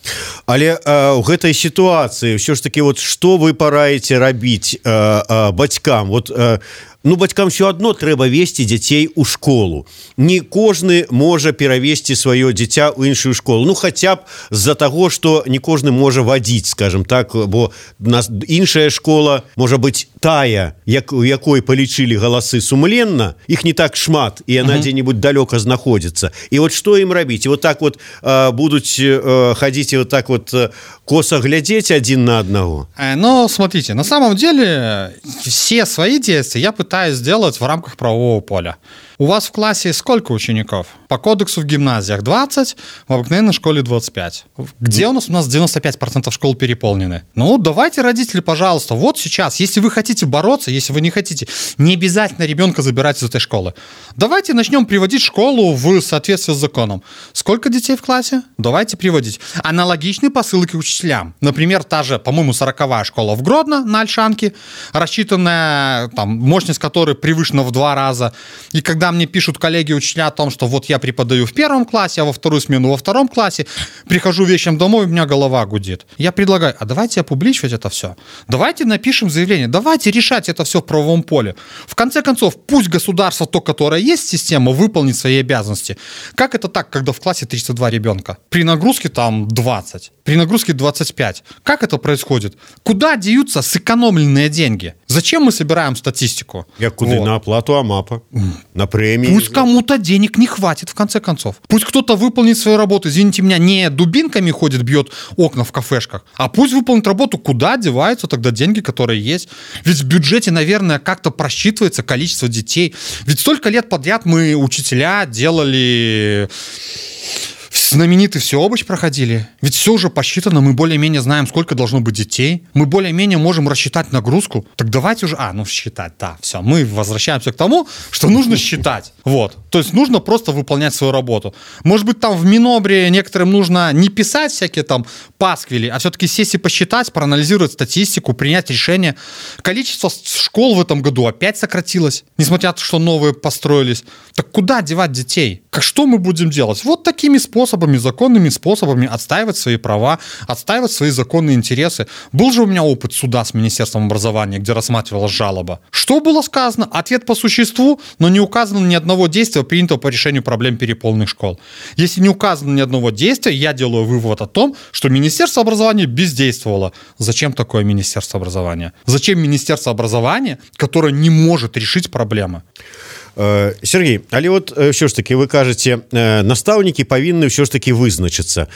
Але э, в этой ситуации все ж таки вот что вы пораете рабіць э, э, бацькам? Вот э, ну бацькам все одно трэба весці дзяцей у школу. Не кожны можа перавесці сваё дзіця ў іншую школу. Ну хотя б з-за таго, что не кожны можа вадзіць, скажем так, бо нас іншая школа можа быць тая, як у якой палічылі галасы сумленна, іх не так шмат, і яна uh-huh. дзе-нибудь далёка знаходзіцца. І вот што ім рабіць? І вот так вот э, будуць э, хадзіць і вот так вот э, косо глядзець адзін на аднаго. Э, но смотрите, на самом деле все свои действия я пытаюсь сделать в рамках правового поля. У вас в классе сколько учеников? По кодексу в гимназиях двадцать, в обыкновенной школе двадцать пять. Где у нас? У нас девяносто пять процентов школ переполнены. Ну, давайте, родители, пожалуйста, вот сейчас, если вы хотите бороться, если вы не хотите, не обязательно ребенка забирать из этой школы. Давайте начнем приводить школу в соответствии с законом. Сколько детей в классе? Давайте приводить. Аналогичные посылки учителям. Например, та же, по-моему, сороковая школа в Гродно на Ольшанке, рассчитанная, там, мощность которой превышена в два раза. И когда мне пишут коллеги-учителя о том, что вот я преподаю в первом классе, а во вторую смену во втором классе, прихожу вечером домой, у меня голова гудит. Я предлагаю, а давайте опубличивать это все. Давайте напишем заявление, давайте решать это все в правовом поле. В конце концов, пусть государство, то, которое есть система, выполнит свои обязанности. Как это так, когда в классе тридцать два ребенка? При нагрузке там двадцать, при нагрузке двадцать пять. Как это происходит? Куда деются сэкономленные деньги? Зачем мы собираем статистику? Я куда? Вот. На оплату АМАПа, на премии. Пусть кому-то денег не хватит, в конце концов. Пусть кто-то выполнит свою работу. Извините меня, не дубинками ходит, бьет окна в кафешках, а пусть выполнит работу. Куда деваются тогда деньги, которые есть? Ведь в бюджете, наверное, как-то просчитывается количество детей. Ведь столько лет подряд мы, учителя, делали знаменитый всеобщ проходили. Ведь все уже посчитано, мы более-менее знаем, сколько должно быть детей. Мы более-менее можем рассчитать нагрузку. Так давайте уже... А, ну считать, да, все. Мы возвращаемся к тому, что нужно считать. Вот. То есть нужно просто выполнять свою работу. Может быть, там в Минобре некоторым нужно не писать всякие там пасквили, а все-таки сесть и посчитать, проанализировать статистику, принять решение. Количество школ в этом году опять сократилось, несмотря на то, что новые построились. Так куда девать детей? Как что мы будем делать? Вот такими способами, законными способами отстаивать свои права, отстаивать свои законные интересы. Был же у меня опыт суда с Министерством образования, где рассматривалась жалоба. Что было сказано? Ответ по существу, но не указано ни одного действия, принятого по решению проблем переполненных школ. Если не указано ни одного действия, я делаю вывод о том, что Министерство образования бездействовало. Зачем такое Министерство образования? Зачем Министерство образования, которое не может решить проблемы? Сергей, але вот ўсё ж таки вы кажаце, настаўнікі павінны ўсё ж таки вызначыцца.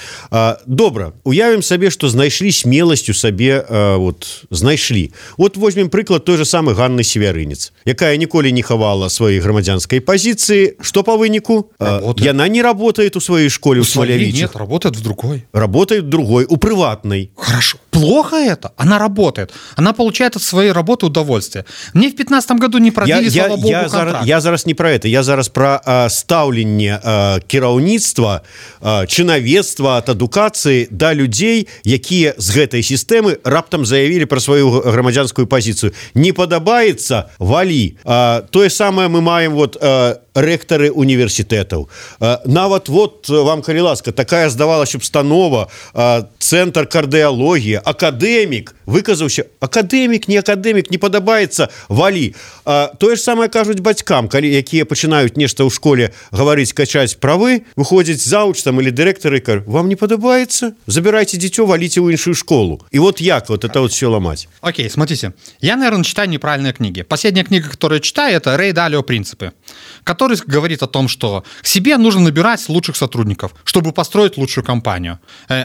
Добра, уявім сабе, што знайшлі смеласць у сабе, вот знайшлі. Вот возьмем прыклад той же самой Ганны Севярынец, якая ніколі не хавала сваёй грамадзянскай пазіцыі. Што по выніку? Работает. Яна не работает у своей школе у Смолявичах. Нет, работает в другой. Работает в другой, у приватной. Хорошо. Плохо это? Она работает. Она получает от своей работы удовольствие. Мне в пятнадцатом году не продлили, я, слава я, богу, я контракт. Зараз, я зараз не про это, я зараз про а, стаўленне а, кіраўніцтва, а, чынавецтва ад адукацыі да людзей, якія з гэтай сістэмы раптам заявілі пра сваю грамадзянскую пазіцыю. Не падабаецца, валі. А, тое самае мы маем вот а, рэктары універсітэтаў. А, нават вот вам, калі ласка, такая здавалася установа, а, цэнтр кардыялогіі, акадэмік выказаўся, акадэмік, не акадэмік, не падабаецца, валі. А, тое ж самае кажуць бацькам, калі якія пачынаюць нешта ў школе гаварыць, качаць правы, выходзіць заўуч там или дырэктары, кажу, вам не падабаецца, забирайте дзіцё, валіце ў іншую школу. И вот як вот это вот все ломать? Окей, смотрите, я, наверное, читаю неправильные книги. Последняя книга, которую я читаю, это Рэй Далио «Принципы», который говорит о том, что себе нужно набирать лучших сотрудников, чтобы построить лучшую компанию.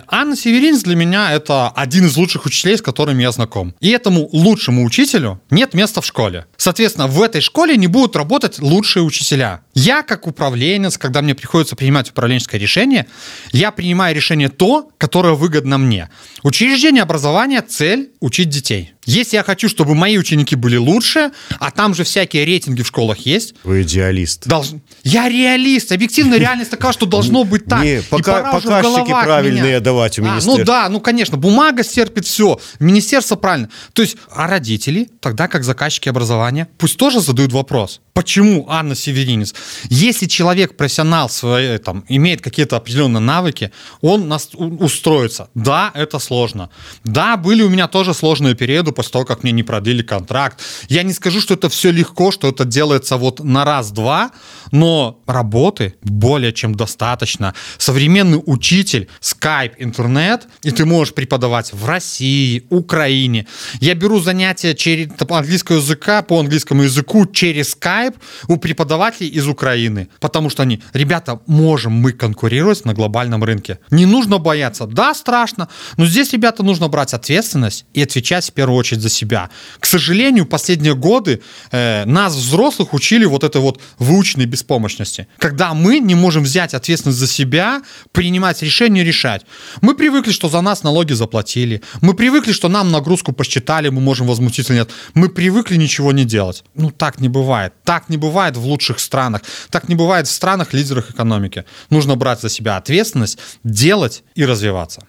Анна Северинец для меня это один из лучших учителей, с которыми я знаком. И этому лучшему учителю нет места в школе. Соответственно, в этой школе не будут работать лучшие учителя. Я, как управленец, когда мне приходится принимать управленческое решение, я принимаю решение то, которое выгодно мне. Учреждение образования — цель — учить детей. Если я хочу, чтобы мои ученики были лучше, а там же всякие рейтинги в школах есть. Вы идеалист. Долж... Я реалист. Объективная реальность такова, что должно быть так. Не, пока, показчики правильные давать у министерства. А, ну да, ну конечно, бумага стерпит все. Министерство правильно. То есть, а родители, тогда как заказчики образования, пусть тоже задают вопрос. Почему Анна Северинец? Если человек, профессионал, свои, там, имеет какие-то определенные навыки, он нас устроится. Да, это сложно. Да, были у меня тоже сложные периоды после того, как мне не продлили контракт. Я не скажу, что это все легко, что это делается вот на раз-два, но работы более чем достаточно. Современный учитель, скайп, интернет, и ты можешь преподавать в России, Украине. Я беру занятия через, по английскому языка, по английскому языку через скайп у преподавателей из Украины, потому что они, ребята, можем мы конкурировать на глобальном рынке. Не нужно бояться. Да, страшно, но здесь, ребята, нужно брать ответственность и отвечать в первую очередь за себя. К сожалению, последние годы э, нас, взрослых, учили вот этой вот выученной беспомощности. Когда мы не можем взять ответственность за себя, принимать решения, решать. Мы привыкли, что за нас налоги заплатили. Мы привыкли, что нам нагрузку посчитали, мы можем возмутить или нет. Мы привыкли ничего не делать. Ну, так не бывает. Так не бывает в лучших странах. Так не бывает в странах-лидерах экономики. Нужно брать за себя ответственность, делать и развиваться.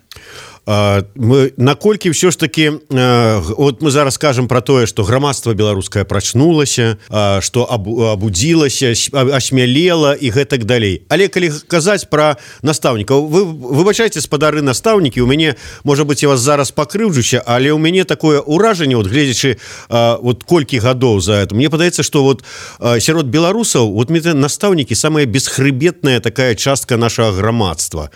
Мы наколькі ўсё ж таки вот мы зараз скажем про тое, что грамадства беларускае прачнулася, что абудзілася, асмялела і гэтак далей. Але калі казаць про настаўнікаў, вы выбачайце, спадары настаўнікі, у мяне, можа быть, я вас зараз пакрыўджуся, але у мяне такое ўражанне, вот гледзячы вот колькі гадоў за это, мне падаецца, что вот сярод беларусаў вот настаўнікі самая бесхрыбетная такая частка нашага грамадства.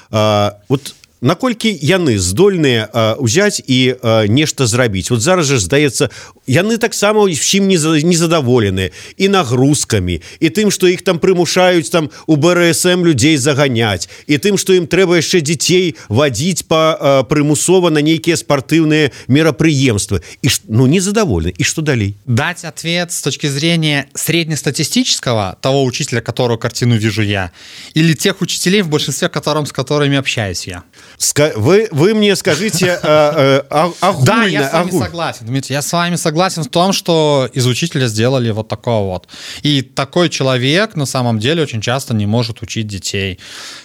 Вот наколькі яны здольныя ўзяць і нешта зрабіць. Вот зараз же здаецца, яны таксама ўсім незадаволеныя і нагрузкамі, і тым, што іх там прымушаюць там у бэ эр эс эм людзей заганяць, і тым, што ім трэба яшчэ дзяцей вадзіць па прымусова на нейкія спартыўныя мерапрыемствы. І ну незадаволены. І што далей? Дать ответ с точки зрения среднестатистического, того учителя, которого картину вижу я, или тех учителей, в большинстве которым, с которыми общаюсь я. Ска- вы, вы мне скажите а, а, огульно. Да, я с вами огуль... согласен, Дмитрий, я с вами согласен в том, что из учителя сделали вот такого вот. И такой человек на самом деле очень часто не может учить детей.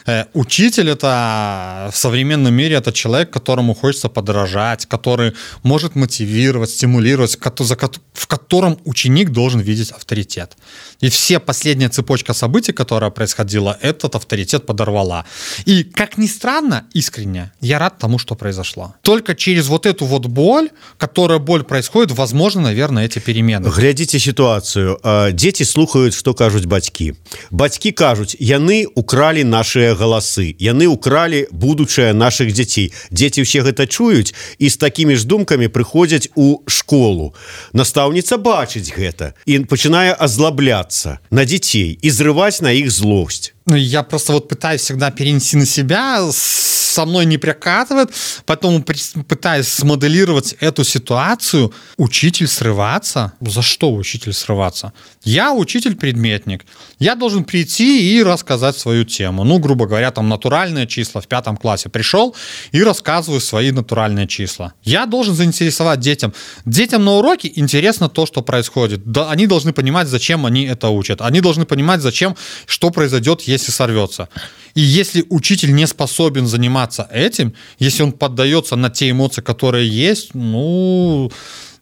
Э, учитель это в современном мире это человек, которому хочется подражать, который может мотивировать, стимулировать, в котором ученик должен видеть авторитет. И все последняя цепочка событий, которая происходила, этот авторитет подорвала. И, как ни странно, искренне, я рад тому, что произошло. Только через вот эту вот боль, которая боль происходит, возможно, наверное, эти перемены. Глядзіце сітуацыю. Дзеці слухаюць, што кажуць бацькі. Бацькі кажуць, яны укралі нашыя галасы, яны укралі будучае нашых дзяцей. Дзеці ўсе гэта чуюць і з такімі ж думкамі прыходзяць у школу. Настаўніца бачыць гэта і пачынае азлабляцца на дзяцей і зрываць на іх злосць. Ну, я просто вот пытаюсь всегда перенести на себя, со мной не прокатывает, поэтому пытаюсь смоделировать эту ситуацию. Учитель срываться? За что учитель срываться? Я учитель-предметник. Я должен прийти и рассказать свою тему. Ну, грубо говоря, там натуральные числа в пятом классе. Пришел и рассказываю свои натуральные числа. Я должен заинтересовать детям. Детям на уроке интересно то, что происходит. Да, они должны понимать, зачем они это учат. Они должны понимать, зачем, что произойдет, если сорвется. И если учитель не способен заниматься этим, если он поддается на те эмоции, которые есть, ну...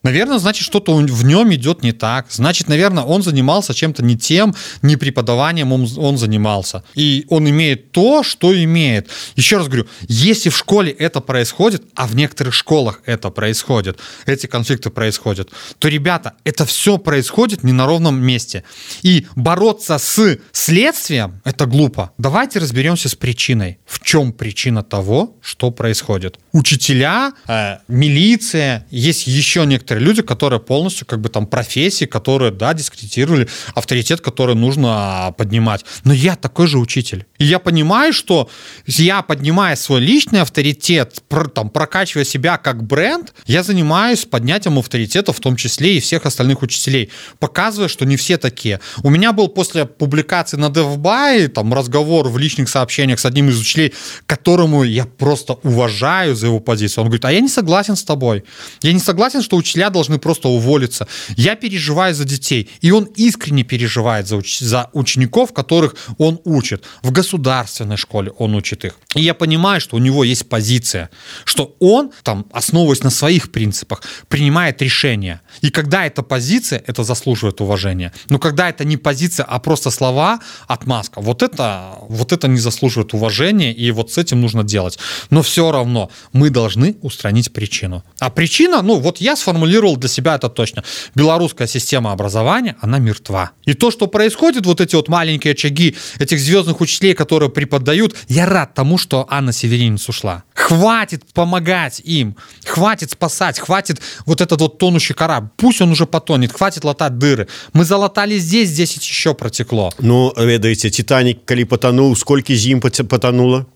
Наверное, значит, что-то в нем идет не так. Значит, наверное, он занимался чем-то не тем, не преподаванием он, он занимался. И он имеет то, что имеет. Еще раз говорю, если в школе это происходит, а в некоторых школах это происходит, эти конфликты происходят, то, ребята, это все происходит не на ровном месте. И бороться с следствием – это глупо. Давайте разберемся с причиной. В чем причина того, что происходит? Учителя, э, милиция, есть еще некоторые люди, которые полностью как бы там профессии, которые, да, дискредитировали авторитет, который нужно поднимать. Но я такой же учитель. И я понимаю, что я, поднимая свой личный авторитет, про, там, прокачивая себя как бренд, я занимаюсь поднятием авторитета, в том числе и всех остальных учителей, показывая, что не все такие. У меня был после публикации на DevBuy там разговор в личных сообщениях с одним из учителей, которому я просто уважаю за его позицию. Он говорит, а я не согласен с тобой. Я не согласен, что учителя должны просто уволиться. Я переживаю за детей. И он искренне переживает за, уч- за учеников, которых он учит. В государственной школе он учит их. И я понимаю, что у него есть позиция, что он, там, основываясь на своих принципах, принимает решения. И когда эта позиция, это заслуживает уважения. Но когда это не позиция, а просто слова, отмазка, вот это, вот это не заслуживает уважения, и вот с этим нужно делать. Но все равно мы должны устранить причину. А причина, ну вот я сформулировал для себя это точно. Белорусская система образования, она мертва. И то, что происходит, вот эти вот маленькие очаги этих звездных учителей, которые преподают, я рад тому, что Анна Северинец ушла. Хватит помогать им, хватит спасать, хватит вот этот вот тонущий корабль. Пусть он уже потонет, хватит латать дыры. Мы залатали здесь, здесь еще протекло. Ну, ведаете, Титаник, коли потонул, сколько зим потонуло?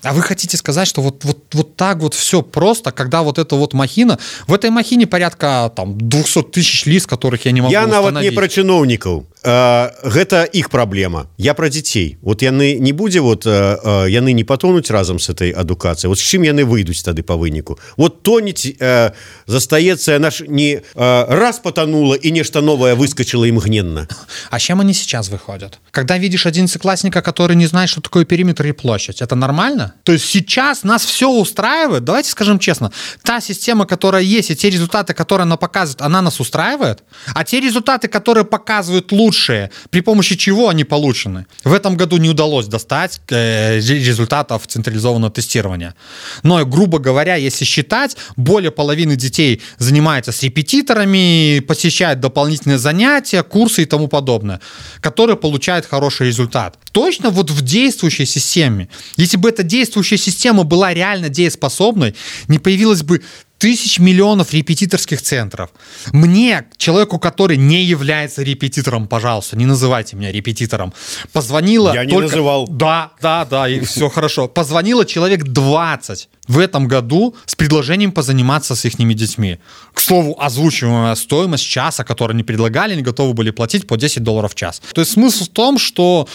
А вы хотите сказать, что вот, вот, вот так вот все просто, когда вот эта вот махина, в этой махине порядка там двести тысяч лиц, которых я не могу я установить. нават не про чыноўнікаў. Гэта іх праблема. Я про дзяцей. Вот яны не будзе, вот яны не патонуць разам с этой адукацыяй. Вот з чым яны выйдуць тады по выніку? Вот тонець застаецца, яна ж не раз потонула и нешта новое выскочило імгненна. А чем они сейчас выходят? Когда видишь одиннадцатиклассника, который не знает, что такое периметр и площадь, это нормально? То есть сейчас нас все устраивает? Давайте скажем честно, та система, которая есть, и те результаты, которые она показывает, она нас устраивает? А те результаты, которые показывают лучше, лучшие, при помощи чего они получены. В этом году не удалось достать э, результатов централизованного тестирования. Но, грубо говоря, если считать, более половины детей занимаются с репетиторами, посещают дополнительные занятия, курсы и тому подобное, которые получают хороший результат. Точно вот в действующей системе. Если бы эта действующая система была реально дееспособной, не появилось бы тысяч миллионов репетиторских центров. Мне, человеку, который не является репетитором, пожалуйста, не называйте меня репетитором, позвонила... Я не только... называл. Да, да, да, и все хорошо. Позвонило человек двадцать в этом году с предложением позаниматься с их детьми. К слову, озвучиваемая стоимость часа, которую они предлагали, они готовы были платить по десять долларов в час. То есть смысл в том, что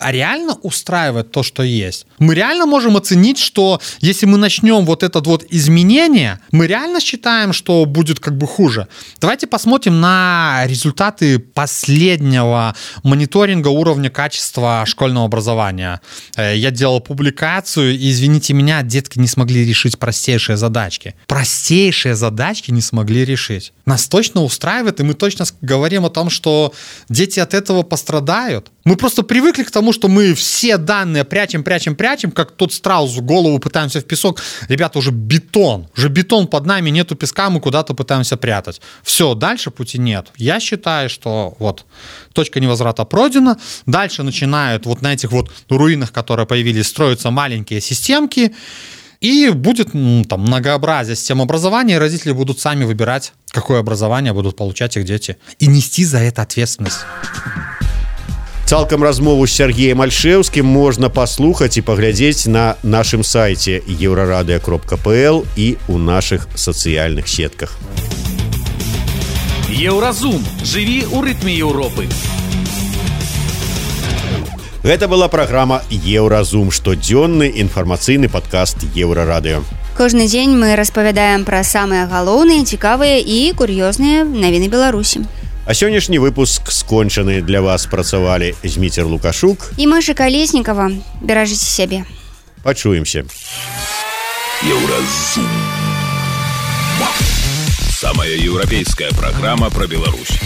а реально устраивает то, что есть. Мы реально можем оценить, что если мы начнем вот это вот изменение, мы реально считаем, что будет как бы хуже. Давайте посмотрим на результаты последнего мониторинга уровня качества школьного образования. Я делал публикацию, и, извините меня, детки не смогли решить простейшие задачки. Простейшие задачки не смогли решить. Нас точно устраивает, и мы точно говорим о том, что дети от этого пострадают. Мы просто привыкли к тому, что мы все данные прячем, прячем, прячем, как тот страус в голову пытаемся в песок. Ребята, уже бетон, уже бетон под нами, нету песка, мы куда-то пытаемся прятать. Все, дальше пути нет. Я считаю, что вот точка невозврата пройдена. Дальше начинают вот на этих вот руинах, которые появились, строятся маленькие системки. И будет ну, там многообразие систем образования, и родители будут сами выбирать, какое образование будут получать их дети. И нести за это ответственность. Цалкам размову з Сергеем Альшэўскім можна паслухаць і паглядзець на нашым сайце еўрарадыё кропка пл і ў нашых сацыяльных сетках. Еўразум. Жыві ў рытме Еўропы. Гэта была праграма «Еўразум», штодзённы інфармацыйны падкаст Еўрарадыё. Кожны дзень мы распавядаем пра самыя галоўныя, цікавыя і кур'ёзныя навіны Беларусі. А сённяшні выпуск скончаны. Для вас працавалі Зміцер Лукашук і Маша Калеснікава. Беражыце сябе. Пачуемся. Еўразум. Самая еўрапейская программа про Беларусь.